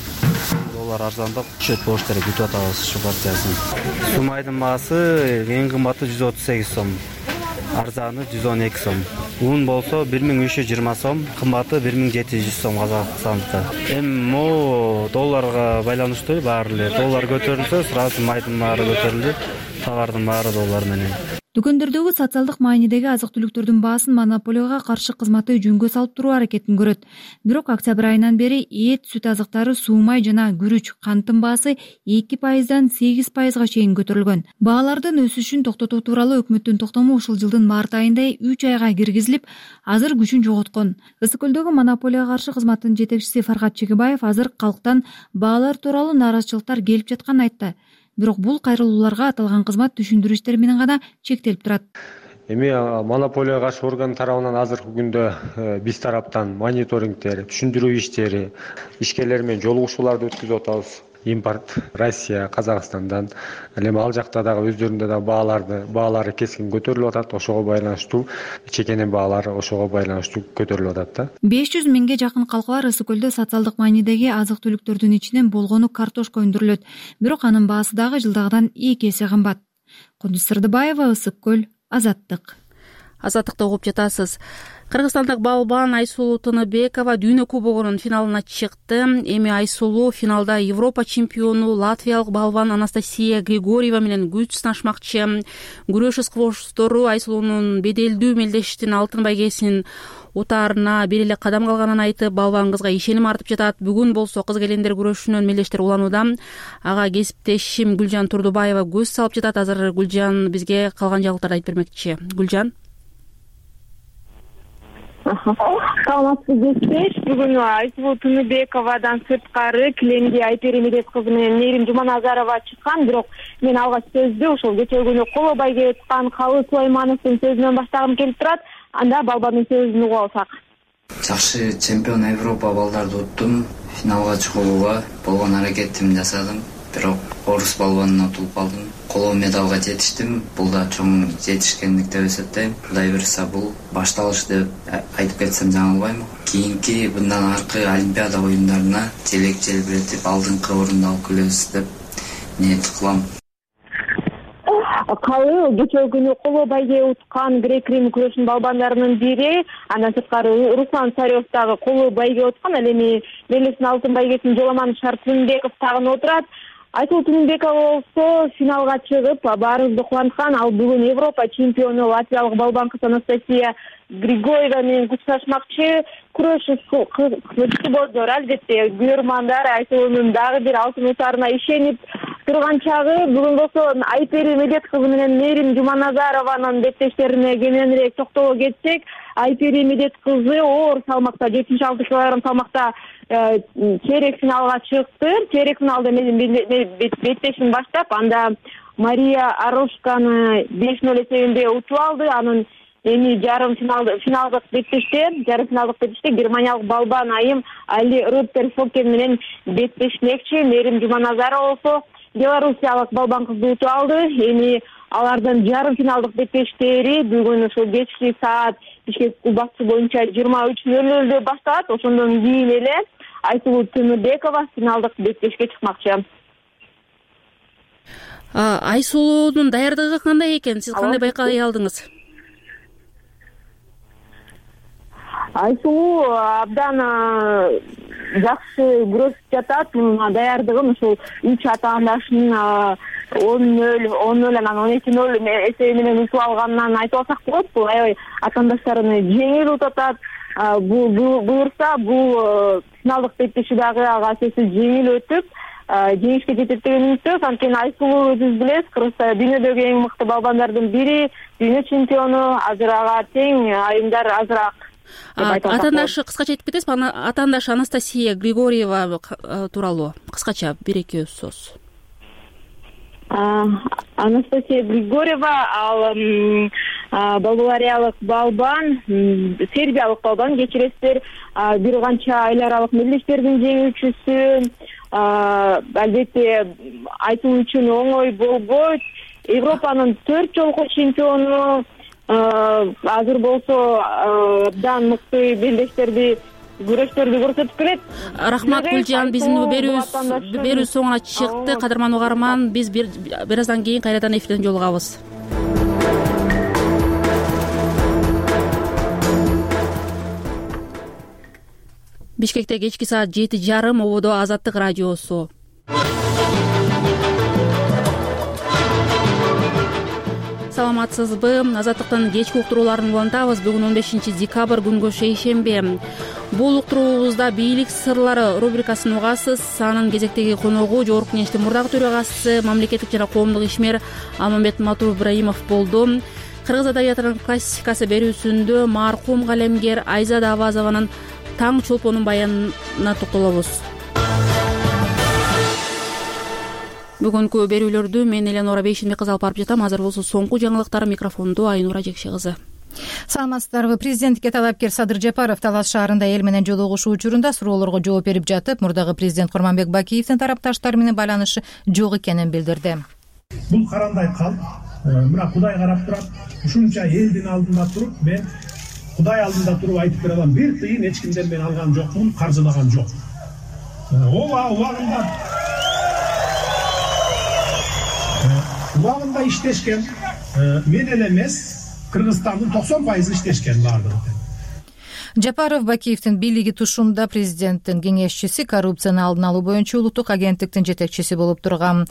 Доллар арзандап түшөт болуш керек, күтүп атабыз ушу партиясын. Сумайдын баасы эң кымбаты 138 сом. Арзаны 112 сом. Un болсо 1320 сом, кымбаты 1700 сом Казакстандыкы. Эми могу долларга байланыштуу баары эле. Доллар көтөрүлсө, сразу майдын баары көтөрүлдү, товардын баары доллар менен. Дүкөндөрдөгү социалдык маанидеги азык-түлүктөрдүн баасын монополияга каршы кызматы жөнгө салып туруу аракетин көрөт. Бирок октябрь айынан бери эт, сүт азыктары, суу май жана күрүч, канттын баасы 2%дан 8%га чейин көтөрүлгөн. Баалардын өсүшүн токтотуу тууралуу өкмөттүн токтому ушул жылдын март айында 3 айга киргизилип, азыр күчүн жоготкон. Ысык көлдөгү монополияга каршы кызматтын жетекчиси Фаргат Чегебаев азыр калктан баалар тууралуу нааразычылыктар келип жатканын айтты. Бирок бул кайрылууларга аталган кызмат түшүндүрүү иштери менен гана чектелип турат. Эми монополияга каршы орган тарабынан азыркы күндө биз тараптан мониторингдер, түшүндүрүү иштери, ишкерлер менен жолугушууларды өткүзүп атабыз. Импорт Россия, Казакстандан, эми ал жакта дагы өздөрүндө да баалары кескин көтөрүлүп атат, ошого байланыштуу чекенен баалары ошого байланыштуу көтөрүлүп атат да. 500 миңге жакын калкалар Ысык көлдө социалдык маанидеги азык-түлүктөрдүн ичинен болгону картошка өндүрүлөт. Бирок анын баасы дагы жылдагыдан 2 эсе кымбат. Кудус Сырдыбаева, Ысык көл, Азаттык. Азаттыкты угуп жатасыз. Кыргызстандык балбан Айсулуу Тыныбекова дүйнө кубогунун финалына чыкты. Эми Айсулуу финалда Европа чемпиону латвиялык балбан Анастасия Григорьева менен күч сынашмакчы. Күрөш ыксыбоштору Айсулуунун беделдүү мелдештин алтын байгесинин утаарына бир эле кадам калганын айтып, балбан кызга ишеним артып жатат. Бүгүн болсо кыз келендер күрөшүнөн мелдештер уланууда. Ага кесиптешим Гүлжан Турдубаева көз салып жатат. Азыр Гүлжан бизге калган жаңылыктарды айтып бермекчи. Гүлжан. Саламатсызбы кесиптеш. Бүгүн Айсулуу Тыныбековадан сырткары килемге Айпери Медет кызы менен Нерим Жуманазарова чыккан. Бирок мен алгач сөздү ушул кечээ күнү коло байге чыккан Калы Сулаймановдун сөзүнөн баштагым келип турат. Анда балбандын сөзүн угуп алсак. Жакшы чемпион Европа балдарды уттум. Финалга чыгууга болгон аракетимди жасадым. Бирок орус балбанына утулуп калдым. Коло медалга жетиштим. Бул да чоң жетишкендик деп эсептейм. Кудай буйрса бул башталыш деп айтып кетсем жаңылбайм. Кийинки мындан аркы Олимпиада оюндарына желек желбиретип алдыңкы орунду алып келебиз деп ниет кылам. Калы кечээ күнү коло байге уткан грек-рим күрөшүнүн балбандарынын бири, андан сырткары Руслан Царев дагы коло байге уткан. Ал эми мелдештин алтын байгесин Жоламан Шартынбеков тагын отурат. Айсулуу Тыныбекова болсо финалга чыгып, баарыбызды кубанткан. Ал бүгүн Европа чемпиону латвиялык балбан кыз Анастасия Григорьева менен күч сынашмакчы. Күрөш ыксыбоздор албетте көрөрмандар Айсулуунун дагы бир алтын утаарына ишенип турган чагы. Бүгүн болсо Айпери Медет кызы менен Нерим Жуманазарованын беттештерине кененирээк токтоло кетсек, Айпери Медет кызы оор салмакта 76 кг салмакта чейрек финалга чыкты. Чейрек финалда беттешин баштап, анда Мария Арошканы 5-0 эсебинде утуп алды. Анын эми жарым финалдык беттеште германиялык балбан айым Али Руттерфокен менен беттешмекчи. Нерим Жуманазарова болсо белоруссиялык балбан кызды утуп алды. Эми алардын жарым финалдык беттештери бүгүн ушул кечки саат Бишкек убакыты боюнча 23:00 башталат. Ошондон кийин эле Айсулуу Тыныбекова финалдык беттешке чыкмакчы. Айсулуунун даярдыгы кандай экен? Сиз кандай байкай алдыңыз? Айсулуу абдан жакшы күрөшүп жатат. Мунун даярдыгын ушул 3 атаандашынын 10-0 анан 12-0 эсеби менен утуп алганынан айтып алсак болот. Бул аябай атаандаштарын жеңил утуп атат. Буюрса бул финалдык беттеши дагы ага сөзсүз жеңил өтүп, жеңишке жетет деген үмүттөбүз. Анткени Айсулуу өзүбүз билебиз, Кыргызстан дүйнөдөгү эң мыкты балбандардын бири, дүйнө чемпиону, азыр ага тең айымдар азыраак. Атаандашы кыскача айтып кетесизби? Атаандашы Анастасия Григорьева тууралуу кыскача 1-2 сөз. Анастасия Григорьева ал болгариялык балбан, сербиялык балбан, кечиресиздер, бир канча эл аралык мелдештердин жеңүүчүсү. Албетте айтуу үчүн оңой болбойт. Европанын 4 жолку чемпиону, азыр болсо абдан мыкты белдештерди, күрөштөрдү көрсөтүп келет. Рахмат Гүлжан, биздин берүү соңуна чыкты. Кадырман угарман, биз бир аздан кийин кайрадан эфирден жолугабыз. Бишкекте кечки саат 7:30, ободо Азаттык радиосу. Саламатсызбы? Азаттыктын кечки уктурууларын улантабыз. Бүгүн 15 декабрь күнгө шейшемби. Бул уктуруубузда бийлик сырлары рубрикасын угасыз. Анын кезектеги коногу Жогорку Кеңештин мурдагы төрагасы, мамлекеттик жана коомдук ишмер Алмамбет Матур-Ибраимов болду. Кыргыз адабиятынын классикасы берүүсүндө маркум калемгер Айзада Абазованын Таң чолпонун баянына токтолобуз. Бүгүнкү берүүлөрдү мен Эленора Бейшенбек кызы алып барып жатам. Азыр болсо соңку жаңылыктар микрофонду Айнура Жекше кызы. Саламатсыздарбы? Президенттикке талапкер Садыр Жапаров Талас шаарында эл менен жолугушуу учурунда суроолорго жооп берип жатып, мурдагы президент Курманбек Бакиевдин тарапташтары менен байланышы жок экенин билдирди. Бул карандай калп, мына Кудай карап турат. Ушунча элдин алдында туруп, мен Кудай алдында туруп айтып бере алам, бир тыйын эч кимден мен алган жокмун, каржылаган жок. Убагында иштешкен, менен эмес, Кыргызстандын 90% иштешкен баардыгы. Жапаров Бакиевдин бийлиги тушунда президенттин кеңешчиси, коррупцияны алдын алуу боюнча улуттук агенттиктин жетекчиси болуп турган.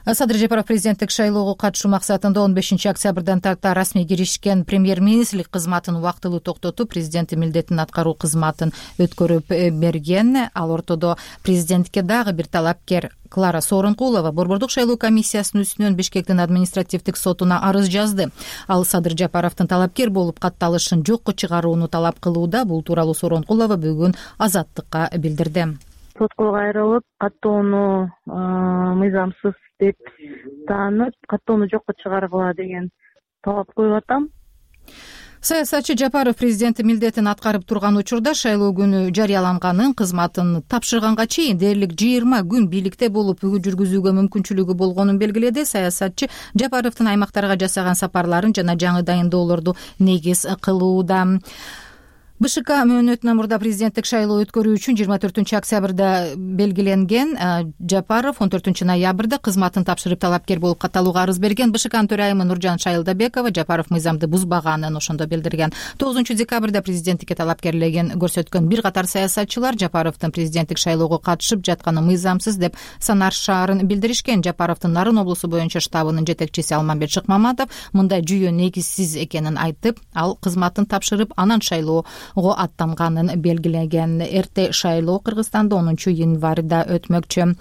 Садыр Жапаров президенттик шайлоого катышуу максатында 15 октябрдан тарта расмий киришкен премьер-министрлик кызматын убактылуу токтотуп, президенттин милдетин аткаруу кызматын өткөрүп берген. Ал ортодо президентке дагы бир талапкер Клара Сооронкулова Борбордук шайлоо комиссиясынын үстүнөн Бишкектин административдик сотуна арыз жазды. Ал Садыр Жапаровдун талапкер болуп катталышын жокко чыгарууну талап кылууда. Бул тууралуу Сооронкулова бүгүн Азаттыкка билдирди. Сотко кайрылып, каттоону мыйзамсыз деп таанып, каттоону жокко чыгаргыла деген талап коюп атам. Саясатчы Жапаров президенттин милдетин аткарып турган учурда шайлоо күнү жарыяланганын, кызматын тапшырганга чейин дээрлик 20 күн бийликте болуп жүргүзүүгө мүмкүнчүлүгү болгонун белгиледи. Саясатчы Жапаровдун аймактарга жасаган сапарларын жана жаңы дайындоолорду негиз кылууда. БШК мөөнөтүнөн мурда президенттик шайлоо өткөрүү үчүн 24 октябрда белгиленген. Жапаров 14 ноябрда кызматын тапшырып талапкер болуп катталууга арыз берген. БШКнын төрайымы Нуржан Шайылдабекова Жапаров мыйзамды бузбаганын ошондо билдирген. 9 декабрда президенттикке талапкерлигин көрсөткөн бир катар саясатчылар Жапаровдун президенттик шайлоого катышып жатканы мыйзамсыз деп санашаарын билдиришкен. Жапаровдун Нарын облусу боюнча штабынын жетекчиси Алмамбет Шыкмаматов мындай жүйө негизсиз экенин айтып, ал кызматын тапшырып анан шайлоо аттанганын белгилеген. Эрте шайлоо Кыргызстанда 10 январда өтмөкчү.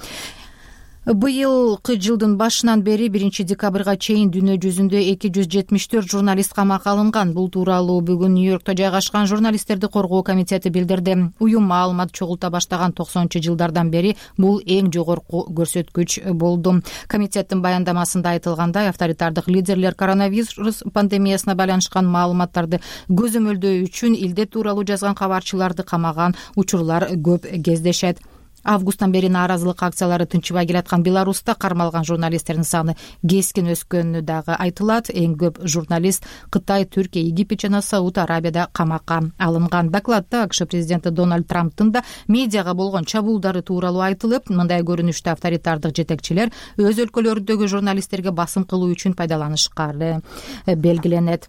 Быйылкы жылдын башынан бери 1 декабрга чейин дүйнө жүзүндө 274 журналист камакка алынган. Бул тууралуу бүгүн Нью-Йоркто жайгашкан журналисттерди коргоо комитети билдирди. Уюм маалымат чогулта баштаган 90-жылдардан бери бул эң жогорку көрсөткүч болду. Комитеттин баяндамасында айтылгандай, авторитардык лидерлер коронавирус пандемиясына байланышкан маалыматтарды көзөмөлдөө үчүн илдет тууралуу жазган кабарчыларды камаган учурлар көп кездешет. Августтан бери нааразылык акциялары тынчыбай келаткан Беларуста кармалган журналисттердин саны кескин өскөнү дагы айтылат. Эң көп журналист Кытай, Түркия, Египет жана Сауд Арабияда камакка алынган. Докладта АКШ президенти Дональд Трамптын да медиага болгон чабуулдары тууралуу айтылып, мындай көрүнүштө авторитардык жетекчилер өз өлкөлөрүндөгү журналисттерге басым кылуу үчүн пайдаланышкары белгиленет.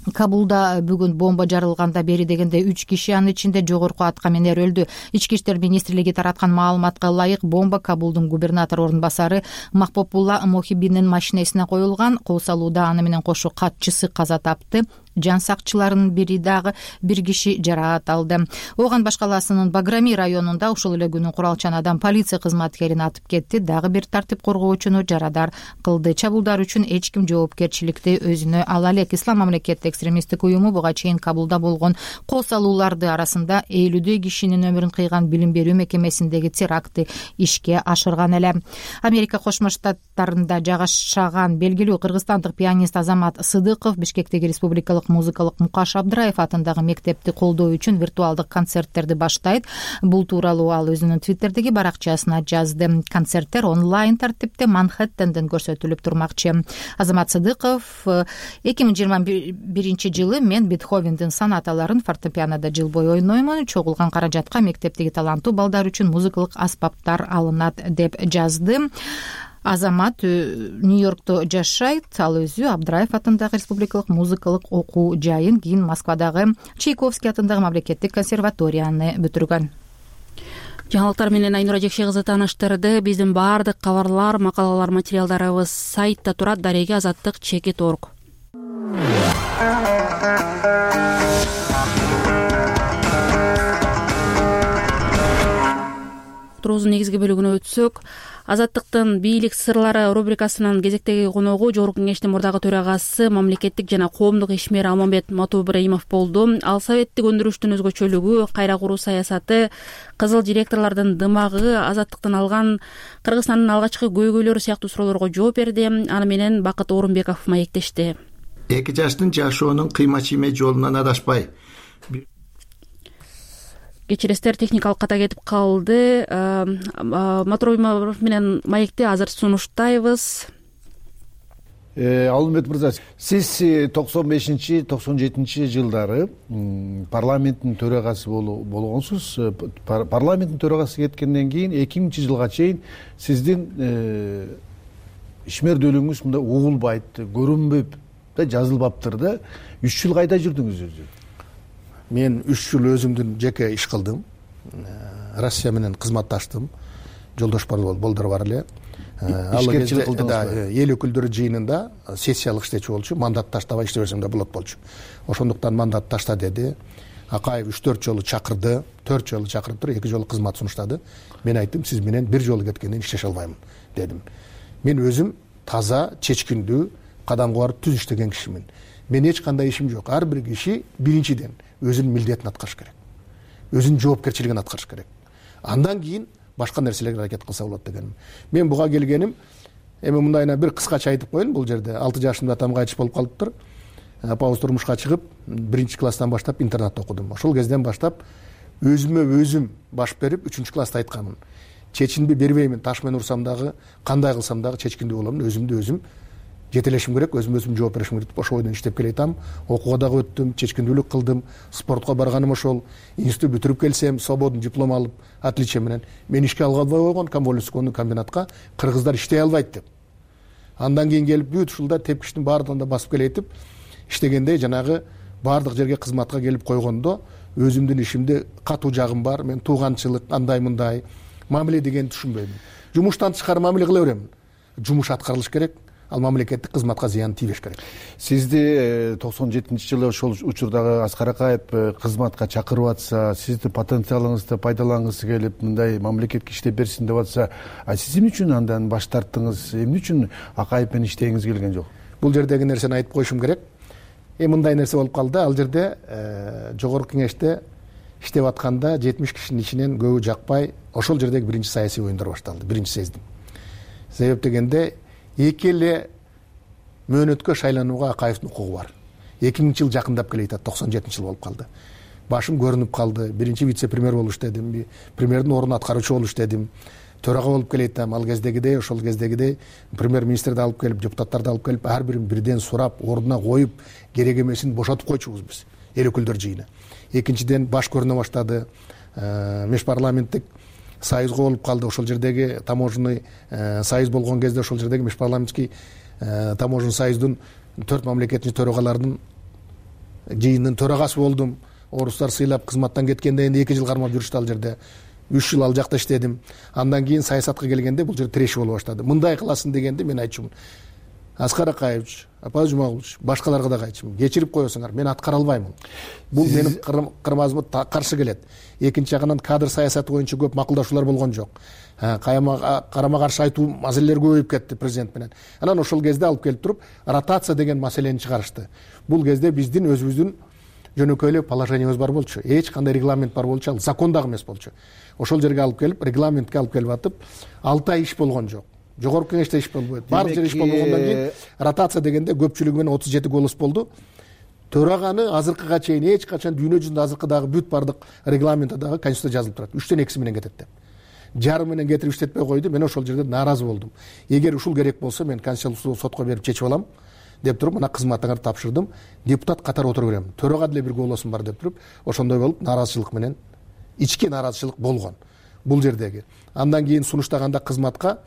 Кабулда бүгүн бомба жарылганда бери дегенде 3 киши, анын ичинде жогорку аткаминер өлдү. Ички иштер министрлиги тараткан маалыматка ылайык, бомба Кабулдун губернатор орун басары Махпопулла Мохибинин машинесине коюлган. Кол салууда аны менен кошо катчысы каза тапты. жан сакчыларынын бири дагы бир киши жаракат алды. Ооган Баш калаасынын Баграми районунда ушул эле күнү куралчан адам полиция кызматкерин атып кетти. Дагы бир тартип коргоочуну жарадар кылды. Чабуулдар үчүн эч ким жоопкерчиликти өзүнө ала элек. Ислам мамлекеттик экстремисттик уюму буга чейин Кабулда болгон кол салууларды арасында 50 кишинин өмүрүн кыйган билим берүү мекемесиндеги терактты ишке ашырган эле. Америка Кошмо Штаттарында жагашаган белгилүү кыргызстандык пианист Азамат Сыдыков Бишкектеги Республикалык музыкалык Мукаш Абдыраев атындагы мектепти колдоо үчүн виртуалдык концерттерди баштайт. Бул тууралуу ал өзүнүн Твиттердеги баракчасына жазды. Концерттер онлайн тартипте Манхэттенден көрсөтүлүп турмакчы. Азамат Сыдыков 2021 жылы мен Бетховендин сонаталарын фортепианода жыл бою ойноймун. Чогулган каражатка мектептеги таланттуу балдар үчүн музыкалык аспаптар алынат деп жазды. Азамат Нью-Йоркто жашайт. Ал өзү Абдыраев атындагы Республикалык музыкалык окуу жайын, кийин Москвадагы Чайковский атындагы мамлекеттик консерваторияны бүтүргөн. Жаңылыктар менен Айнура Жекше кызы тааныштырды. Биздин баардык кабарлар, макалалар, материалдарыбыз сайтта турат. Дареги Азаттык /org. Турубуздун негизги бөлүгүнө өтсөк, Азаттыктын бийлик сырлары рубрикасынын кезектеги коногу Жогорку Кеңештин мурдагы төрагасы, мамлекеттик жана коомдук ишмер Алмамбет Матубраимов болду. Ал советтик өндүрүштүн өзгөчөлүгү, кайра куруу саясаты, кызыл директорлордун дымагы, азаттыктан алган Кыргызстандын алгачкы көйгөйлөрү сыяктуу суроолорго жооп берди. Аны менен Бакыт Орунбеков маектешти. Эки жаштын жашоонун кыйма-чийме жолунан адашпай. Кечиресиздер, техникалык ката кетип калды. Матубраимов менен маекти азыр сунуштайбыз. Алмамбет мырза, сиз 95-97 жылдары парламенттин төрагасы болгонсуз. Парламенттин төрагасы кеткенден кийин 2000 жылга чейин сиздин ишмердүүлүгүңүз мындай угулбайт, көрүнбөп да жазылбаптыр да. 3 жыл кайда жүрдүңүз өзү? Мен 3 жыл өзүмдүн жеке иш кылдым. Россия менен кызматташтым. Жолдош болдор бар эле. Ишкерчилик кылдыңызбы? Эл өкүлдөрү жыйынында сессиялык иштечү болчу, мандат таштабай иште берсем да болот болчу. Ошондуктан мандат ташта деди. Акаев 3-4 жолу чакырды, 4 жолу чакырып туруп 2 жолу кызмат сунуштады. Мен айттым, сиз менен 1 жолу кеткенден иштеше албаймын дедим. Мен өзүм таза, чечкиндүү, кадамга барып түз иштеген кишимин. Мен эч кандай ишим жок. Ар бир киши биринчиден өзүнүн милдетин аткарыш керек. Өзүнүн жоопкерчилигин аткарыш керек. Андан кийин башка нерселерге аракет кылса болот дегенмин. Мен буга келгеним, эми мындайына бир кыскача айтып коеюн. Бул жерде 6 жашымда атам кайтыш болуп калыптыр. Апабыз турмушка чыгып, 1-класстан баштап интернатта окудум. Ошол кезден баштап өзүмө өзүм баш берип 3-класста айтканмын. Чечинби бербеймин. Таш менен урсам дагы, кандай кылсам дагы чечкиндүү болом. Өзүмдү өзүм жетелешим керек, өзүм жооп беришим керек. Ошол ойдон иштеп келатам. Окууга дагы өттүм, чечкиндүүлүк кылдым. Спортко барганым ошол. Институт бүтүрүп келсем, свободный диплом алып, отличие менен мен ишке алгабай койгон Камболовскойдун комбинатка кыргыздар иштей албайт деп. Андан кийин келип бүт ушулда тепкичтин баардыгын да басып келетип, иштегенде жанагы баардык жерге кызматка келип койгондо өзүмдүн ишимде катуу жагым бар. Мен тууганчылык, андай-мындай мамиле дегенди түшүнбөймүн. Жумуштан тышкары мамиле кыла беремин. Жумуш аткарылыш керек. Ал мамлекеттик кызматка зыян тийбеш керек. Сизди 97-жылы ошол учурдагы Аскар Акаев кызматка чакырып атса, сиздин потенциалыңызды пайдалангысы келип, мындай мамлекетке иштеп берсин деп атса, сиз эмне үчүн андан баш тарттыңыз? Эмне үчүн Акаев менен иштегиңиз келген жок? Бул жердеги нерсени айтып коюшум керек. Мындай нерсе болуп калды. Ал жерде Жогорку Кеңеште иштеп атканда 70 кишинин ичинен көбү жакпай, ошол жердеги биринчи саясий оюндар башталды. Биринчи сездим. Себеп дегенде эки эле мөөнөткө шайланууга Акаевдин укугу бар. 2000 жыл жакындап келе атат, 97 жыл болуп калды. Башым көрүнүп калды. Биринчи вице-премьер болуш дедим, премьердин ордун аткаруучу болуш дедим. Төрага болуп келетам. Ал кездегидей, ошол кездегидей премьер-министрди алып келип, депутаттарды алып келип, ар бирин бирден сурап, ордуна коюп, керек эмесин бошотуп койчубуз биз. Эл өкүлдөр жыйыны. Экинчиден баш көрүнө баштады. Межпарламенттик союзга болуп калды. Ошол жердеги таможенный союз болгон кезде ошол жердеги межпарламентский таможенный союздун 4 мамлекеттин төрагаларынын жыйынынын төрагасы болдум. Орустар сыйлап кызматтан кеткенде энди 2 жыл кармап жүрүштү ал жерде. 3 жыл ал жакта иштедим. Андан кийин саясатка келгенде бул жер тиреши боло баштады. Мындай кыласың дегенде мен айтчумун. Аскар Акаевич, Апай Жумагулович, башкаларга дагы айтчумун, кечирип коесуңар, мен аткара албаймын. Бул менин кырмазыма каршы келет. Экинчи жагынан кадр саясаты боюнча көп макулдашуулар болгон жок. Карама каршы айтуу маселелер көбөйүп кетти президент менен. Анан ошол кезде алып келип туруп ротация деген маселени чыгарышты. Бул кезде биздин өзүбүздүн жөнөкөй эле положениябыз бар болчу. Эч кандай регламент бар болчу, ал закон дагы эмес болчу. Ошол жерге алып келип, регламентке алып келип атып, 6 ай иш болгон жок. Жогорку кеңеште иш болбойт. Баардык жер иш болгондон кийин ротация дегенде көпчүлүгү менен 37 голос болду. Төраганы азыркыга чейин эч качан дүйнө жүзүндө азыркы дагы бүт баардык регламентте дагы конституцияда жазылып турат. 3төн 2 менен кетет деп. Жарым менен кетирип иштетпей койду. Мен ошол жерде нааразы болдум. Эгер ушул керек болсо мен конституциялык сотко берип чечип алам деп туруп, мына кызматыңарды тапшырдым. Депутат катары отура берем. Төрага деле бир голосум бар деп туруп, ошондой болуп нааразычылык менен ички нааразычылык болгон бул жердеги. Андан кийин сунуштаганда кызматка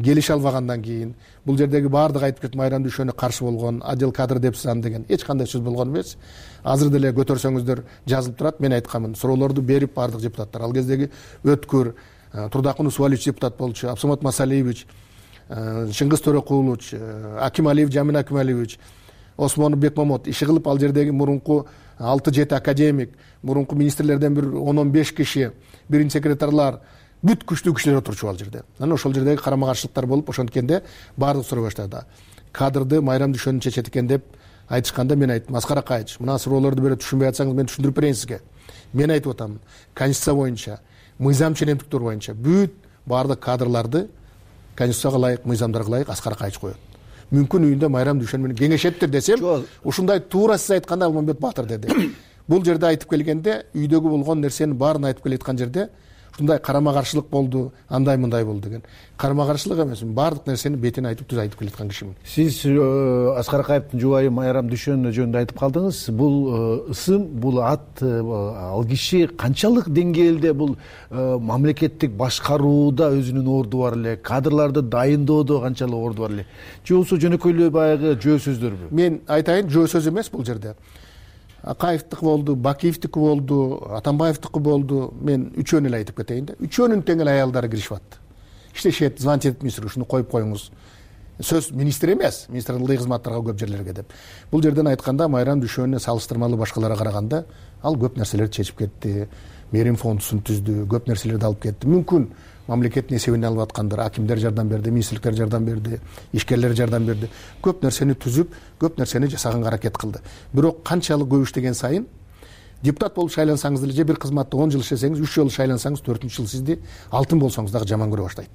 келише албагандан кийин бул жердеги баардык айтып кетти, Майрам Дүйшөнү каршы болгон, отдел кадр депсизан деген эч кандай сөз болгон эмес. Азыр деле көтөрсөңүздөр жазылып турат. Мен айтканмын, суроолорду берип баардык депутаттар. Ал кездеги Өткүр, Турдакун Усвалиевич депутат болчу, Абсамат Масалиевич, Чыңгыз Төрөкулович, Акималиев Жамин Акималиевич, Осмонов Бекмамот иши кылып, ал жердеги мурунку 6-7 академик, мурунку министрлерден бир 10-15 киши, биринчи секретарлар, бүт күчтүү кишилер отурчу ал жерде. Анан ошол жердеги карама каршылыктар болуп, ошонткенде баардык суроо баштады. Кадрды Майрам Дүйшөнү чечет экен деп айтышканда мен айттым, Аскар Акаевич, мына суроолорду бере түшүнбөй атсаңыз мен түшүндүрүп берейин сизге. Мен айтып атам, конституция боюнча, мыйзам ченемдиктер боюнча бүт баардык кадрларды конституцияга ылайык, мыйзамдарга ылайык Аскар Акаевич коет. Мүмкүн үйүндө Майрам Дүйшөн менен кеңешеттир десем, ушундай туура сиз айткандай Алмамбет Баатыр деди. Бул жерде айтып келгенде, үйдөгү болгон нерсенин баарын айтып келаткан жерде ушундай карама каршылык болду, андай мындай болду деген. Карама каршылык эмес, баардык нерсени бетин айтып түз айтып келаткан кишимин. Сиз Аскар Акаевдин жубайы Майрам Дүйшөн жөнүндө айтып калдыңыз. Бул ысым, бул ат, ал киши канчалык деңгээлде бул мамлекеттик башкарууда өзүнүн орду бар эле, кадрларды дайындоодо канчалык орду бар эле? Же болбосо жөнөкөй эле баягы жөө сөздөрбү? Мен айтайын, жөө сөз эмес бул жерде. Акаевдики болду, Бакиевдики болду, Атамбаевдики болду. Мен үчөөнү эле айтып кетейин да. Үчөөнүн тең эле аялдары киришип атты. Иштешет, звонить этип министр, ушуну коюп коюңуз. Сөз министр эмес, министр ылдый кызматтарга көп жерлерге деп. Бул жерден айтканда Майрам Дүйшөнүнө салыштырмалуу башкаларга караганда ал көп нерселерди чечип кетти. Мерим фондусун түздү, көп нерселерди алып кетти. Мүмкүн мамлекеттин эсебине алып аткандар, акимдер жардам берди, министрликтер жардам берди, ишкерлер жардам берди. Көп нерсени түзүп, көп нерсени жасаганга аракет кылды. Бирок канчалык көп иштеген сайын депутат болуп шайлансаңыз деле, же бир кызматты 10 жыл иштесеңиз, 3 жыл шайлансаңыз, 4-чү жыл сизди алтын болсоңуз дагы жаман көрө баштайт.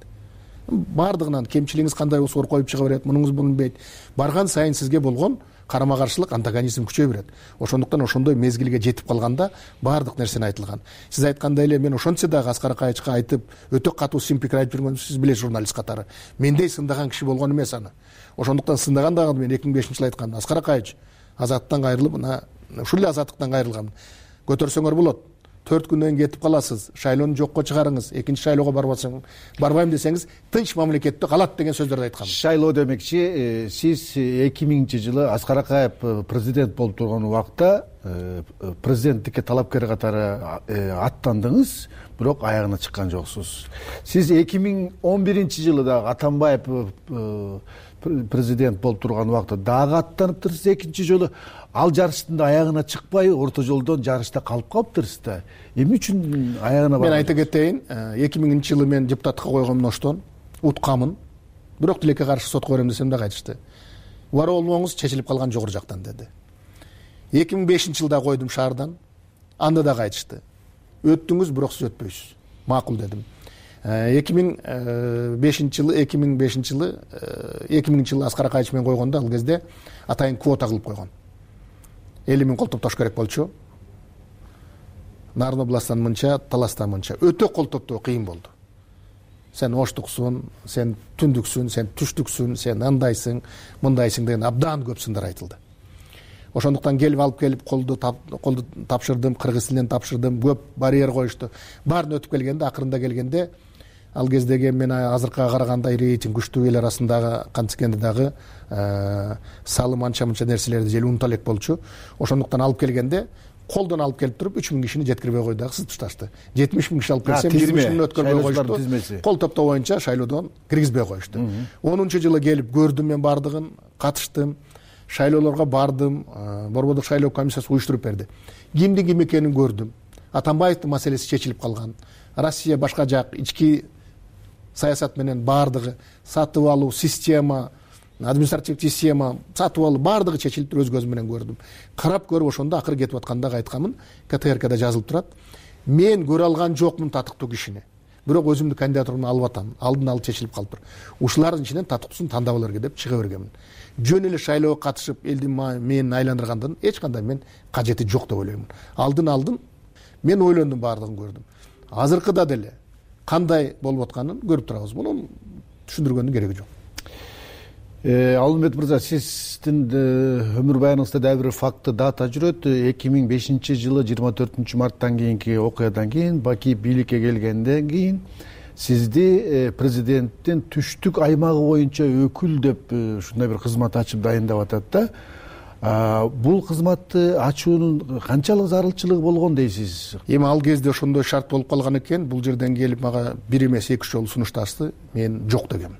Бардыгынан кемчилигиңиз кандай болсо коюп чыга берет, мунуңуз билинбейт. Барган сайын сизге болгон карама каршылык, антагонизм күчөй берет. Ошондуктан ошондой мезгилге жетип калганда баардык нерсени айтылган. Сиз айткандай эле мен ошончо дагы Аскар Акаевичке айтып, өтө катуу сын пикир айтып жүргөнүмдү сиз билесиз журналист катары. Мендей сындаган киши болгон эмес аны. Ошондуктан сындаган дагы мен 2005-жылы айткам, Аскар Акаевич, азаттыктан кайрылып, мына ушул эле азаттыктан кайрылгам. Көтөрсөңөр болот. 4 күндөн кетип каласыз, шайлоону жокко чыгарыңыз, экинчи шайлоого барбайм десеңиз, тынч мамлекетте калат деген сөздөрдү айткам. Шайлоо демекчи, сиз 2000-жылы Аскар Акаев президент болуп турган убакта президенттикке талапкер катары аттандыңыз, бирок аягына чыккан жоксуз. Сиз 2011-жылы дагы Атамбаев президент болуп турган убакта дагы аттаныптырсыз, экинчи жолу ал жарыштын да аягына чыкпай, орто жолдон жарышта калып калыптырсыз да. Эмне үчүн аягына мен айта кетейин, 2000-жылы мен депутатка койгом оштон уткамын. Бирок тилекке каршы сотко берем десем дагы айтышты. Убара болмоңуз, чечилип калган жогору жактан деди. 2005-жылда койдум шаардан. Анда дагы айтышты. Өттүңүз, бирок сиз өтпөйсүз. Макул дедим. 2000-жылы Аскар Акаевич менен койгондо ал кезде атайын квота кылып койгон. 50 000 кол топтош керек болчу. Нарын областан мынча, Таластан мынча. Өтө кол топтоо кыйын болду. Сен оштуксуң, сен түндүксүң, сен түштүксүң, сен андайсың, мындайсың деген абдан көп сындар айтылды. Ошондуктан келип алып келип колду тапшырдым, кыргыз тилинен тапшырдым, көп барьер коюшту. Баарын өтүп келгенде, акырында келгенде ал кездеги мен азыркыга караганда рейтинг күчтүү эл арасындагы кантскенде дагы салым анча-мынча нерселерди жел унута элек болчу. Ошондуктан алып келгенде колдон алып келип туруп 3000 кишини жеткирбей койду, дагы сызып ташташты. 70 000 киши алып келсем 20 кишини өткөрбөй коюшту. Кол топтоо боюнча шайлоодон киргизбей коюшту. 10-жылы келип көрдүм, мен бардыгын катыштым. Шайлоолорго бардым, Борбордук шайлоо комиссиясы уюштуруп берди. Кимдин ким экенин көрдүм. Атамбаевдин маселеси чечилип калган. Россия башка жак ички саясат менен бардыгы, сатып алуу система, административдик система, сатып алуу бардыгы чечилип туруп өз көзүм менен көрдүм. Карап көрүп ошондо акыры кетип аткандагы айтканмын, КТРКда жазылып турат. Мен көрө алган жокмун татыктуу кишини. Бирок өзүмдүн кандидатурамды алып атам. Алдын алып чечилип калыптыр. Ушулардын ичинен татыктуусун тандап алырга деп чыга бергенмин. Жөн эле шайлоого катышып элдин менин айландыргандын эч кандай мен кажети жок деп ойлоймун. Алдын мен ойлондум, бардыгын көрдүм. Азыркыда деле кандай болуп атканын көрүп турабыз. Муну түшүндүргөндүн кереги жок. Алымбет мырза, сиздин өмүр баяныңызда дагы бир факты дата жүрөт. 2005-жылы 24 марттан кийинки окуядан кийин Баки бийликке келгенден кийин сизди президенттин түштүк аймагы боюнча өкүл деп ушундай бир кызмат ачып дайындап атат да. Бул кызматты ачуунун канчалык зарылчылыгы болгон дейсиз? Эми ал кезде ошондой шарт болуп калган экен. Бул жерден келип мага бир эмес 2 жолу сунушташты. Мен жок дегем.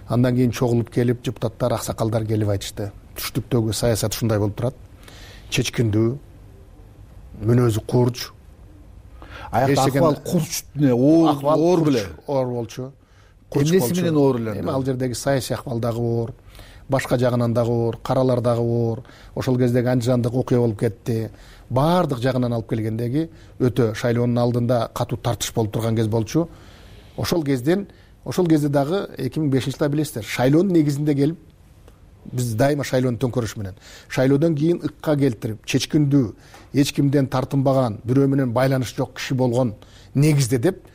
Андан кийин чогулуп келип депутаттар, аксакалдар келип айтышты. Түштүктөгү саясат ушундай болуп турат. Чечкиндүү, мүнөзү курч. Аякта акыбал курч оор беле? Оор болчу. Эмнеси менен оор эле? Эми ал жердеги саясий акыбал дагы оор, башка жагынан дагы оор, каралар дагы оор. Ошол кездеги андыжандык окуя болуп кетти. Баардык жагынан алып келгендеги өтө шайлоонун алдында катуу тартыш болуп турган кез болчу. Ошол кезде дагы 2005-жылда билесиздер, шайлоонун негизинде келип биз дайыма шайлоонун төңкөрүшү менен, шайлоодон кийин ыкка келтирип, чечкиндүү, эч кимден тартынбаган, бирөө менен байланыш жок киши болгон негизде деп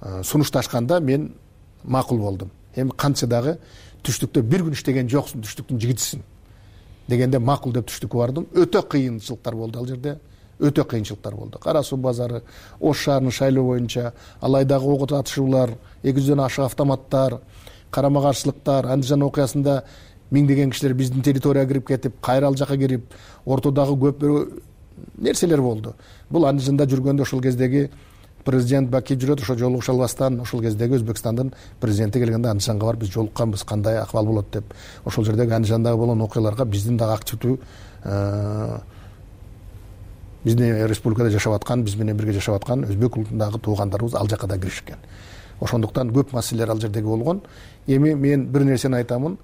сунушташканда мен макул болдум. Эми кантса дагы түштүктө бир күн иштеген жоксуң, түштүктүн жигитисиң дегенде макул деп түштүккө бардым. Өтө кыйынчылыктар болду ал жерде. Өтө кыйынчылыктар болду. Кара Суу базары, Ош шаарынын шайлоо боюнча алайдагы ок атышуулар, 200дөн ашык автоматтар, карама каршылыктар, Андижан окуясында миңдеген кишилер биздин территорияга кирип кетип, кайра ал жака кирип, ортодагы көп нерселер болду. Бул Андижанда жүргөндө ошол кездеги президент Баки жүрөт, ошо жолугуша албастан, ошол кездеги Өзбекстандын президенти келгенде Андижанга барып биз жолукканбыз, кандай акыбал болот деп. Ошол жердеги Андижандагы болгон окуяларга биздин дагы активдүү биздин республикада жашап аткан, биз менен бирге жашап аткан өзбек улутундагы туугандарыбыз ал жака да киришкен. Ошондуктан көп маселелер ал жердеги болгон. Эми мен бир нерсени айтамын,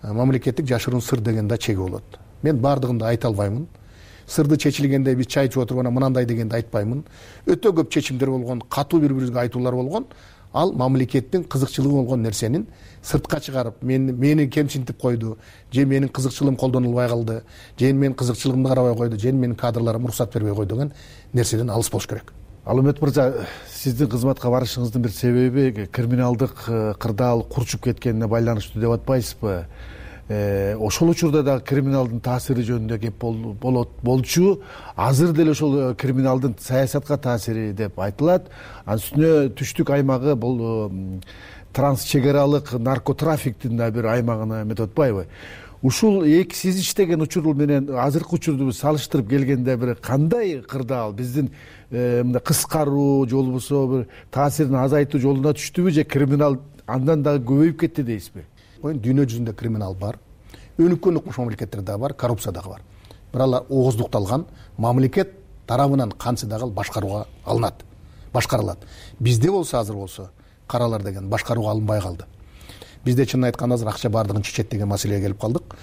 мамлекеттик жашыруун сыр деген да чеги болот. Мен бардыгын да айта албаймын. Сырды чечилгенде биз чай ичип отуруп мынандай дегенди айтпаймын. Өтө көп чечимдер болгон, катуу бири-бирибизге айтуулар болгон. Ал мамлекеттин кызыкчылыгы болгон нерсенин сыртка чыгарып, мени кемсинтип койду, же менин кызыкчылыгым колдонулбай калды, же менин кызыкчылыгымды карабай койду, же менин кадрларыма уруксат бербей койду деген нерседен алыс болуш керек. Алымбет мырза, сиздин кызматка барышыңыздын бир себеби криминалдык кырдаал курчуп кеткенине байланыштуу деп атпайсызбы? Ошол учурда дагы криминалдын таасири жөнүндө кеп болчу. Азыр деле ошол криминалдын саясатка таасири деп айтылат. Анын үстүнө түштүк аймагы бул трансчек аралык наркотрафиктин да бир аймагына эметип атпайбы? Ушул сиз иштеген учур менен азыркы учурду салыштырып келгенде бир кандай кырдаал биздин мындай кыскаруу же болбосо бир таасирин азайтуу жолуна түштүбү, же криминал андан дагы көбөйүп кетти дейсизби? Дүйнө жүзүндө криминал бар. Өнүккөн укмуш мамлекеттер дагы бар, коррупция дагы бар. Бирок алар ооздукталган, мамлекет тарабынан кантсе дагы башкарууга алынат, башкарылат. Бизде болсо азыр болсо каралар деген башкарууга алынбай калды. Бизде чынын айтканда азыр акча бардыгын чечет деген маселеге келип калдык.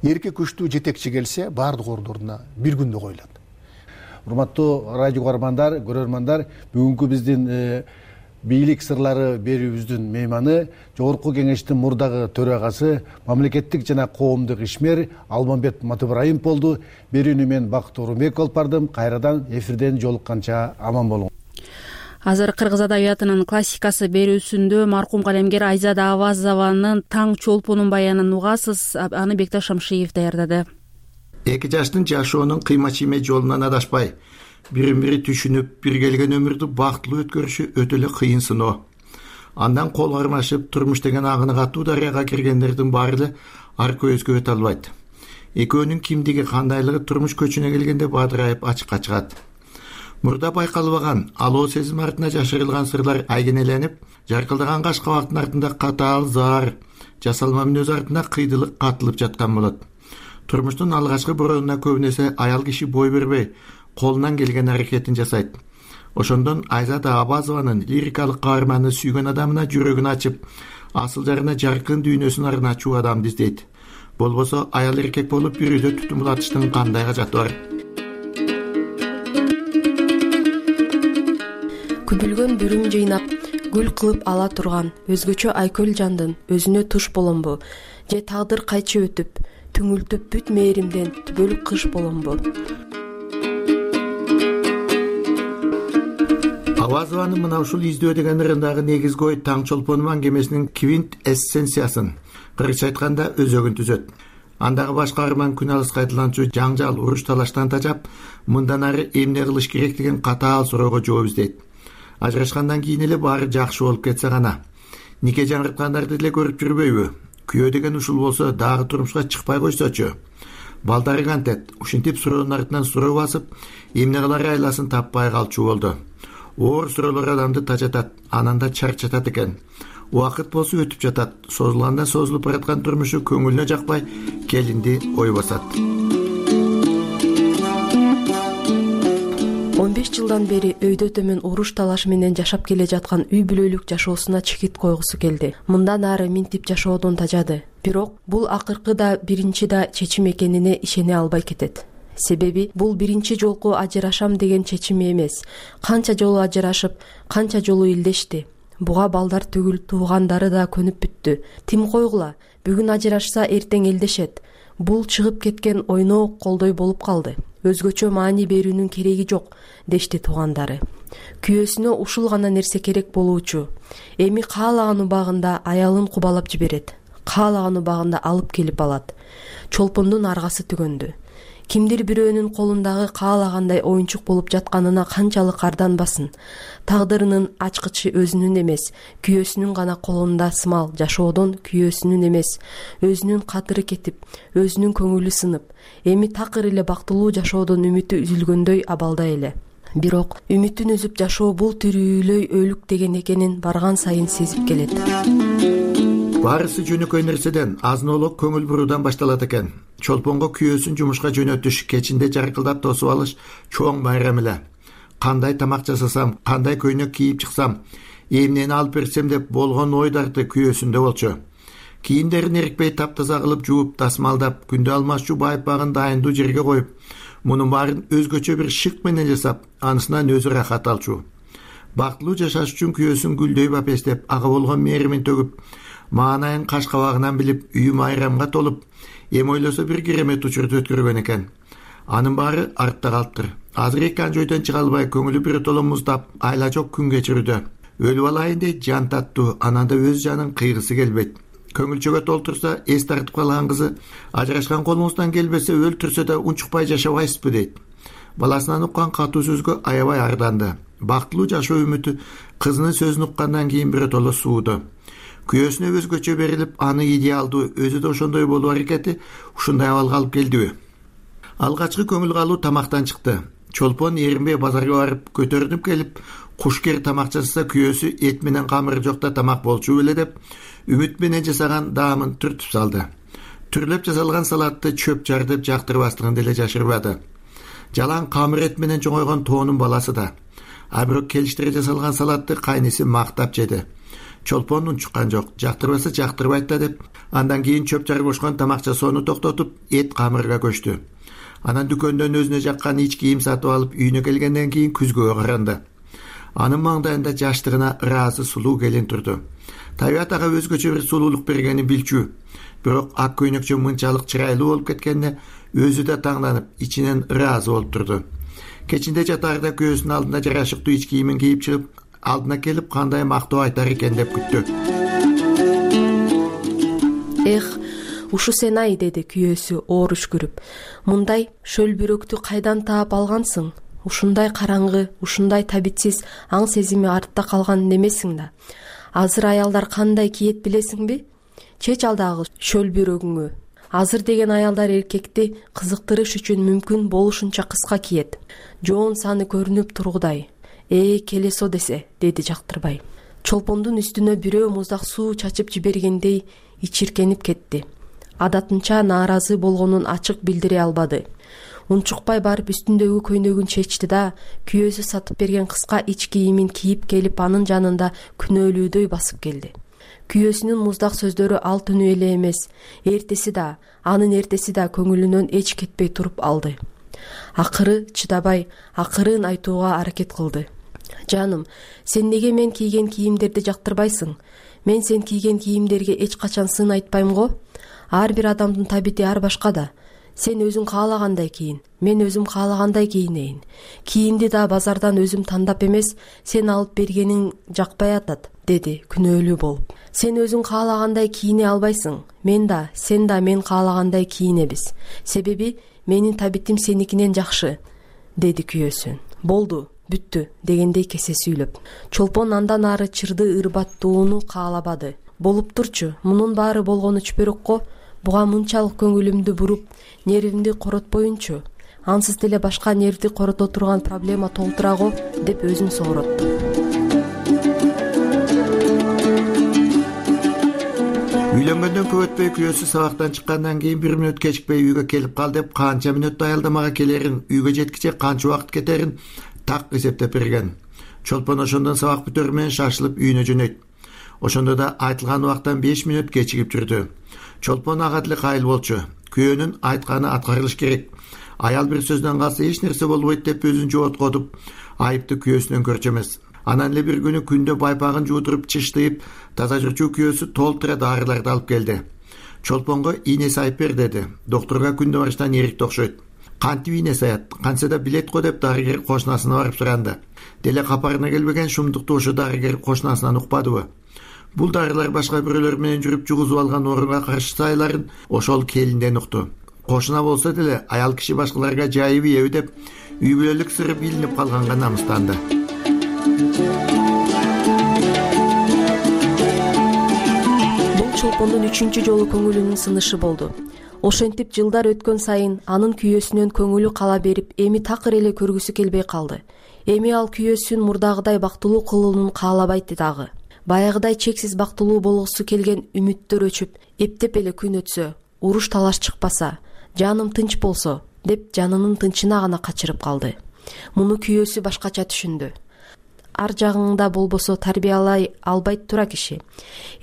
Эрки күчтүү жетекчи келсе, бардык ордуна бир күндө коюлат. Урматтуу радио көрөрмандар, бүгүнкү биздин бийлик сырлары берүүбүздүн мейманы Жогорку Кеңештин мурдагы төрагасы, мамлекеттик жана коомдук ишмер Алмамбет Матыбыраимов болду. Берүүнү мен Бакыт Орунбеков алып бардым. Кайрадан эфирден жолукканча аман болуңуз. Азыр кыргыз адабиятынын классикасы берүүсүндө маркум калемгер Айзада Авазованын Таң чолпонун баянын угасыз. Аны Бекташ Шамшиев даярдады. Эки жаштын жашоонун кыйма-чийме жолунан адашпай, бирин-бири түшүнүп, бир келген өмүрдү бактылуу өткөрүшү өтө эле кыйын сыноо. Андан кол кармашып, турмуш деген агыны катуу дарыяга киргендердин баары эле арка өзгө өтө албайт. экөөнүн кимдиги кандайлыгы турмуш көчүнө келгенде бадырайып ачыкка чыгат. Мурда байкалбаган алоо сезим артына жашырылган сырлар айгенеленип, жаркылдаган каш кабактын артында катаал заар, жасалма мүнөз артында кыйдылык катылып жаткан болот. Турмуштун алгачкы бороонуна көбүн эсе аял киши бой бербей, колунан келген аракетин жасайт. Ошондон Айзада Абазованын лирикалык каарманы сүйгөн адамына жүрөгүн ачып, асыл жарына жаркын дүйнөсүн арначуу адамды издейт. Болбосо аял эркек болуп бир үйдө түтүн булатыштын кандай кажаты бар? Күбүлгөн бүрүм жыйнап, гүл кылып ала турган өзгөчө айкөл жандын өзүнө туш боломбу, же тагдыр кайчы өтүп, түңүлтүп бүт мээримден түбөлүк кыш боломбу? Абазованын мына ушул издөө деген ырындагы негизги ой таң чолпону аңгемесинин квинт эссенциясын, кыргызча айтканда өзөгүн түзөт. Андагы баш каарман күн алыс кайталанчу жаңжал, уруш талаштан тажап, мындан ары эмне кылыш керек деген катаал суроого жооп издейт. Ажырашкандан кийин эле баары жакшы болуп кетсе гана. Нике жаңырткандарды деле көрүп жүрбөйбү? Күйөө деген ушул болсо дагы турмушка чыкпай койсочу. Балдары кантет, ушинтип суроонун артынан суроо басып, эмне кылар айласын таппай калчу болду. Оор суроолор адамды тажатат, анан да чарчатат экен. Убакыт болсо өтүп жатат, созулгандан созулуп бараткан турмушу көңүлүнө жакпай, келинди ой басат. 15 жылдан бери өйдө төмөн уруш талаш менен жашап келе жаткан үй бүлөлүк жашоосуна чекит койгусу келди. Мындан ары минтип жашоодон тажады. Бирок бул акыркы да биринчи да чечим экенине ишене албай кетет. Себеби бул биринчи жолку ажырашам деген чечим эмес. Канча жолу ажырашып, канча жолу илдешти. Буга балдар түгүл, туугандары да көнүп бүттү. Тим койгула, бүгүн ажырашса эртең элдешет. Бул чыгып кеткен ойноо колдой болуп калды. Өзгөчө маани берүүнүн кереги жок, дешти туугандары. Күйөөсүнө ушул гана нерсе керек болуучу. Эми каалаган убагында аялын кубалап жиберет. Каалаган убагында алып келип алат. Чолпондун аргасы түгөндү. Кимдир бирөөнүн колундагы каалагандай оюнчук болуп жатканына канчалык арданбасын. Тагдырынын ачкычы өзүнүн эмес, күйөөсүнүн гана колунда сымал. Жашоодон күйөөсүнүн эмес, өзүнүн катыры кетип, өзүнүн көңүлү сынып, эми такыр эле бактылуу жашоодон үмүтү үзүлгөндөй абалда эле. Бирок үмүтүн үзүп жашоо бул тирүүлөй өлүк деген экенин барган сайын сезип келет. Баарысы жөнөкөй нерседен, азын-олок көңүл буруудан башталат экен. Чолпонго күйөөсүн жумушка жөнөтүш, кечинде жаркылдап тосуп алыш чоң байрам эле. Кандай тамак жасасам, кандай көйнөк кийип чыксам, эмнени алып берсем деп болгон ой дарты күйөөсүндө болчу. Кийимдерин эрикпей таптаза кылып жууп, тасмалдап, күндө алмашчу байпагын дайындуу жерге коюп, мунун баарын өзгөчө бир шык менен жасап, анысынан өзү рахат алчу. Бактылуу жашаш үчүн күйөөсүн гүлдөй бапестеп, ага болгон мээримин төгүп, маанайын каш кабагынан билип, үйү майрамга толуп, эми ойлосо бир керемет учурду өткөргөн экен. Анын баары артта калыптыр. Азыр эки анжойдон чыга албай, көңүлү бир толо муздап, айла жок күн кечирүүдө. Өлүп алайын дейт, жан таттуу, анан да өз жанын кыйгысы келбейт. Көңүлчөгө толтурса, эс тартып калган кызы, ажырашкан колуңуздан келбесе, өлтүрсө да унчукпай жашабайсызбы дейт. Баласынан уккан катуу сөзгө аябай арданды. Бактылуу жашоо үмүтү кызынын сөзүн уккандан кийин бир толо сууду. Күйөөсүнө өзгөчө берилип, аны идеалдуу, өзү да ошондой болуу аракети ушундай абалга алып келдиби? Алгачкы көңүл калуу тамактан чыкты. Чолпон эринбей базарга барып, көтөрүнүп келип, кушкер тамак жасаса күйөөсү эт менен камыры жокта тамак болчу беле деп, үмүт менен жасаган даамын түртүп салды. Түрлөп жасалган салатты чөп жардып жактырбастыгын деле жашырбады. Жалаң камыр эт менен чоңойгон тоонун баласы да. А бирок келиштире жасалган салатты кайниси мактап жеди. Чолпон унчуккан жок, жактырбаса жактырбайт да деп, андан кийин чөп жар бошкон тамак жасоону токтотуп, эт камырга көчтү. Анан дүкөндөн өзүнө жаккан ич кийим сатып алып, үйүнө келгенден кийин күзгөгө каранды. Анын маңдайында жаштыгына ыраазы сулуу келин турду. Табият ага өзгөчө бир сулуулук бергенин билчү. Бирок ак көйнөкчө мынчалык чырайлуу болуп кеткенине өзү да таңданып, ичинен ыраазы болуп турду. Кечинде жатаарда күйөөсүнүн алдына жарашыктуу ич кийимин кийип чыгып, алдына келип кандай мактоо айтар экен деп күттү. Ушу сен ай, деди күйөөсү оор үшкүрүп. Мындай шөл бирөктү кайдан таап алгансың? Ушундай караңгы, ушундай табитсиз аң сезими артта калган немесиң да. Азыр аялдар кандай кийет билесиңби? Чеч алдагы шөл бирөгүңү. азыр деген аялдар эркекти кызыктырыш үчүн мүмкүн болушунча кыска кийет. Жоон саны көрүнүп тургудай. Келесо десе, деди Жактырбай. Чолпондун үстүнө бирөө муздак суу чачып жибергендей ичиркенип кетти. Адатынча нааразы болгонун ачык билдире албады. Унчукпай барып үстүндөгү көйнөгүн чечти да, күйөөсү сатып берген кыска ич кийимин кийип келип анын жанында күнөөлүүдөй басып келди. Күйөөсүнүн муздак сөздөрү ал түнү эле эмес, эртеси да, анын эртеси да көңүлүнөн эч кетпей туруп алды. Акыры чыдабай, акырын айтууга аракет кылды. Жаным, сен неге мен кийген кийимдерди жактырбайсың? Мен сен кийген кийимдерге эч качан сын айтпайм го. Ар бир адамдын табити ар башка да. Сен өзүң каалагандай кийин, мен өзүм каалагандай кийинейин. Кийимди да базардан өзүм тандап эмес, сен алып бергениң жакпай атат, деди күнөөлүү болуп. Сен өзүң каалагандай кийине албайсың. Мен да, сен да мен каалагандай кийинебиз. Себеби менин табитим сеникинен жакшы, деди күйөөсү. Болду, бүттү, дегендей кесе сүйлөп. Чолпон андан ары чырды ырбаттууну каалабады. Болуп турчу, мунун баары болгону чүпөрөк го. Буга мынчалык көңүлүмдү буруп, нервимди коротпоюнчу. Ансыз деле башка нервди корото турган проблема толтура го, деп өзүн сооротtu. Үйлөнгөндөн көп өтпөй күйөөсү сабактан чыккандан кийин 1 мүнөт кечикпей үйгө келип кал деп канча мүнөт аялдамага келерин, үйгө жеткиче канча убакыт кетерин так эсептеп берген. Чолпон ошондон сабак бүтөрү менен шашылып үйүнө жөнөйт. Ошондо да айтылган убактан 5 мүнөт кечигип жүрдү. Чолпон ага деле кайыл болчу. Күйөөнүн айтканы аткарылыш керек. Аял бир сөздөн калса эч нерсе болбойт деп өзүн жооткотуп, айыпты күйөөсүнөн көрчү эмес. Анан эле бир күнү күндө байпагын жуудуруп чыштыйып, таза жүрчү күйөөсү толтура дарыларды алып келди. Чолпонго ийне сайып бер деди. Докторго күндө барыштан эрикти окшойт. Кантип ийне саят? Канча да билет го деп дарыгер кошунасына барып суранды. Деле капарына келбеген шумдукту ошо дарыгер кошунасынан укпадыбы? Бул дарылар башка бирөөлөр менен жүрүп жугузуп алган орунга каршы сайларын ошол келинден укту. Кошуна болсо деле аял киши башкаларга жайып ийеби деп үй бүлөлүк сыры билинип калганга намыстанды. Бул Чолпондун 3-чү жолу көңүлүнүн сынышы болду. Ошентип жылдар өткөн сайын анын күйөөсүнөн көңүлү кала берип, эми такыр эле көргүсү келбей калды. Эми ал күйөөсүн мурдагыдай бактылуу кылуунун каалабайт дагы. Баягыдай чексиз бактылуу болгусу келген үмүттөр өчүп, эптеп эле күн өтсө, уруш талаш чыкпаса, жаным тынч болсо, деп жанынын тынчына гана качырып калды. Муну күйөөсү башкача түшүндү. Ар жагыңда болбосо тарбиялай албайт тура киши.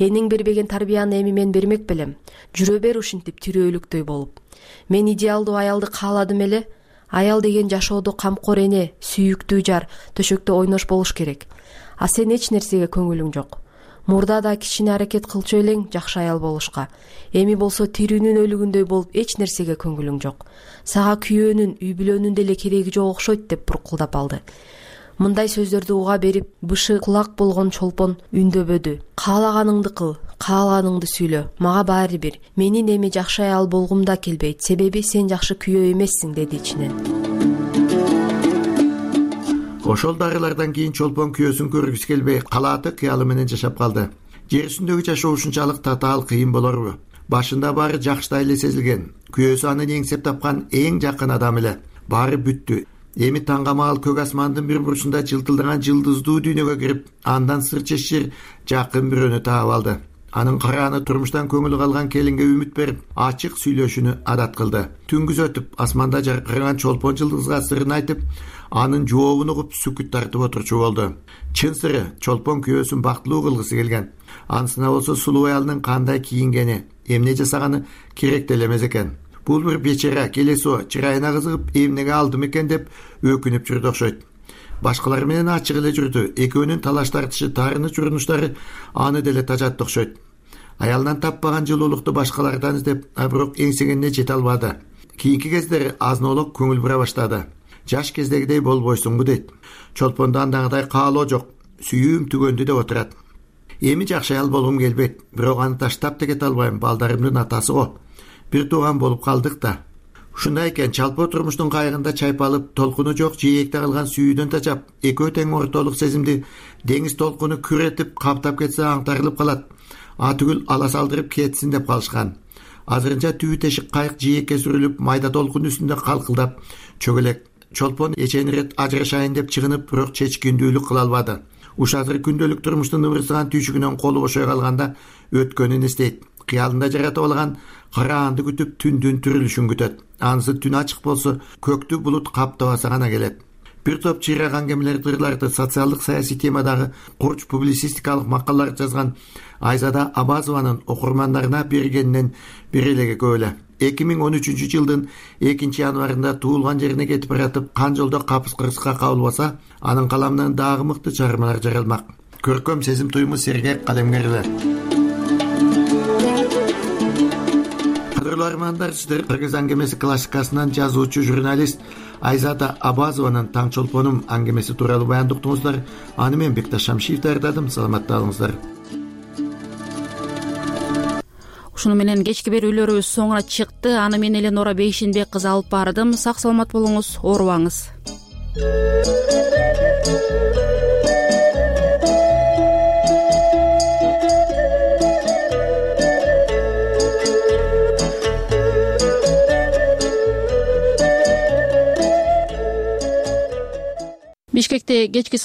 Эниң бербеген тарбияны эми мен бермек белем. Жүрө бер ушинтип тирөөлүктөй болуп. Мен идеалдуу аялды кааладым эле. Аял деген жашоодо камкор эне, сүйүктүү жар, төшөктө ойнош болуш керек. А сен эч нерсеге көңүлүң жок. Мурда да кичине аракет кылчу элең жакшы аял болушка. Эми болсо тирүүнүн өлүгүндөй болуп эч нерсеге көңүлүң жок. Сага күйөөнүн, үй бүлөнүн деле кереги жок окшойт деп буркулдап алды. Мындай сөздөрдү уга берип, бышы кулак болгон Чолпон үндөбөдү. Каалаганыңды кыл, каалаганыңды сүйлө. Мага баары бир. Менин эми жакшы аял болгум да келбейт. Себеби сен жакшы күйөө эмессиң, деди ичинен. Ошол дарылардан кийин Чолпон күйөөсүн көргүсү келбей, калааты кыялы менен жашап калды. Жер үстүндөгү жашоо ушунчалык татаал кыйын болорбу? Башында баары жакшыдай эле сезилген. Күйөөсү аны эңсеп тапкан эң жакын адам эле. Баары бүттү. Эми таңгамаал көк асмандын бир бурчунда жылтылдаган жылдыздуу дүйнөгө кирип, андан сыр чечир жакын бирөөнү таап алды. Анын карааны турмуштан көңүлү калган келинге үмүт берип, ачык сүйлөшүүнү адат кылды. Түнгүз өтүп, асманда жаркыраган Чолпон жылдызга сырын айтып, анын жообун угуп сүкүт тартып отурчу болду. Чын сыры, Чолпон күйөөсүн бактылуу кылгысы келген. Анысына болсо сулуу аялдын кандай кийингени, эмне жасаганы керек деле эмес экен. Бул бир бечара келесо чырайына кызыгып эмнеге алдым экен деп өкүнүп жүрдү окшойт. Башкалар менен ачык эле жүрдү. Экөөнүн талаш тартышы, таарыныч урунуштары аны деле тажатты окшойт. Аялынан таппаган жылуулукту башкалардан издеп, бирок эңсегенине жете албады. Кийинки кездери азын-олок көңүл бура баштады. Жаш кездегидей болбойсуңбу дейт. Чолпондо андагыдай каалоо жок. Сүйүүм түгөндү деп отурат. Эми жакшы аял болгум келбейт, бирок аны таштап да кете албайм. Балдарымдын атасы го. Бир тууган болуп калдык да. Ушундай экен, чалпоо турмуштун кайыгында чайпалып, толкуну жок жээкте калган сүйүүдөн тажап, экөө тең ортолук сезимди деңиз толкуну күрөтүп каптап кетсе аңтарылып калат. Атүгүл ала салдырып кетсин деп калышкан. азырынча түбү тешик кайык жээкке сүрүлүп майда толкун үстүндө калкылдап чөгөлөк. Чолпон эчен ирет ажырашайын деп чыгынып, бирок чечкиндүүлүк кыла албады. Уш азыр күндөлүк турмуштун ыбырсыган түйшүгүнөн колу бошой калганда өткөнүн эстейт. Кыялында жаратып алган караанды күтүп түндүн түрүлүшүн күтөт. Анысы түн ачык болсо, көктү булут каптабаса гана келет. Бир топ чыйрак аңгемелер тырларды социалдык саясий темадагы курч публицистикалык макалалар жазган Айзада Абазованын окурмандарына бергенинен бир элеге көп эле. 2013-жылдын 2-январында туулган жерине кетип баратып, кан жолдо капыс-кырсыкка кабылбаса, анын каламынан дагы мыкты чыгармалар жаралмак. Көркөм сезим туюму сергек калемгерлер. Кадырлуу армандар, сиздер Кыргыз аңгемеси классикасынан жазуучу журналист Айзада Абазованын Таң чолпонум аңгемеси тууралуу баяндоо уктуңуздар. Аны мен Бекташ Шамшиев даярдадым. Саламатта болуңуздар. Ушуну менен кечки берүүлөрүбүз соңуна чыкты. Аны мен Эленора Бейшинбек кызы алып бардым. Сак саламат болуңуз, оорубаңыз. Бишкекте кечки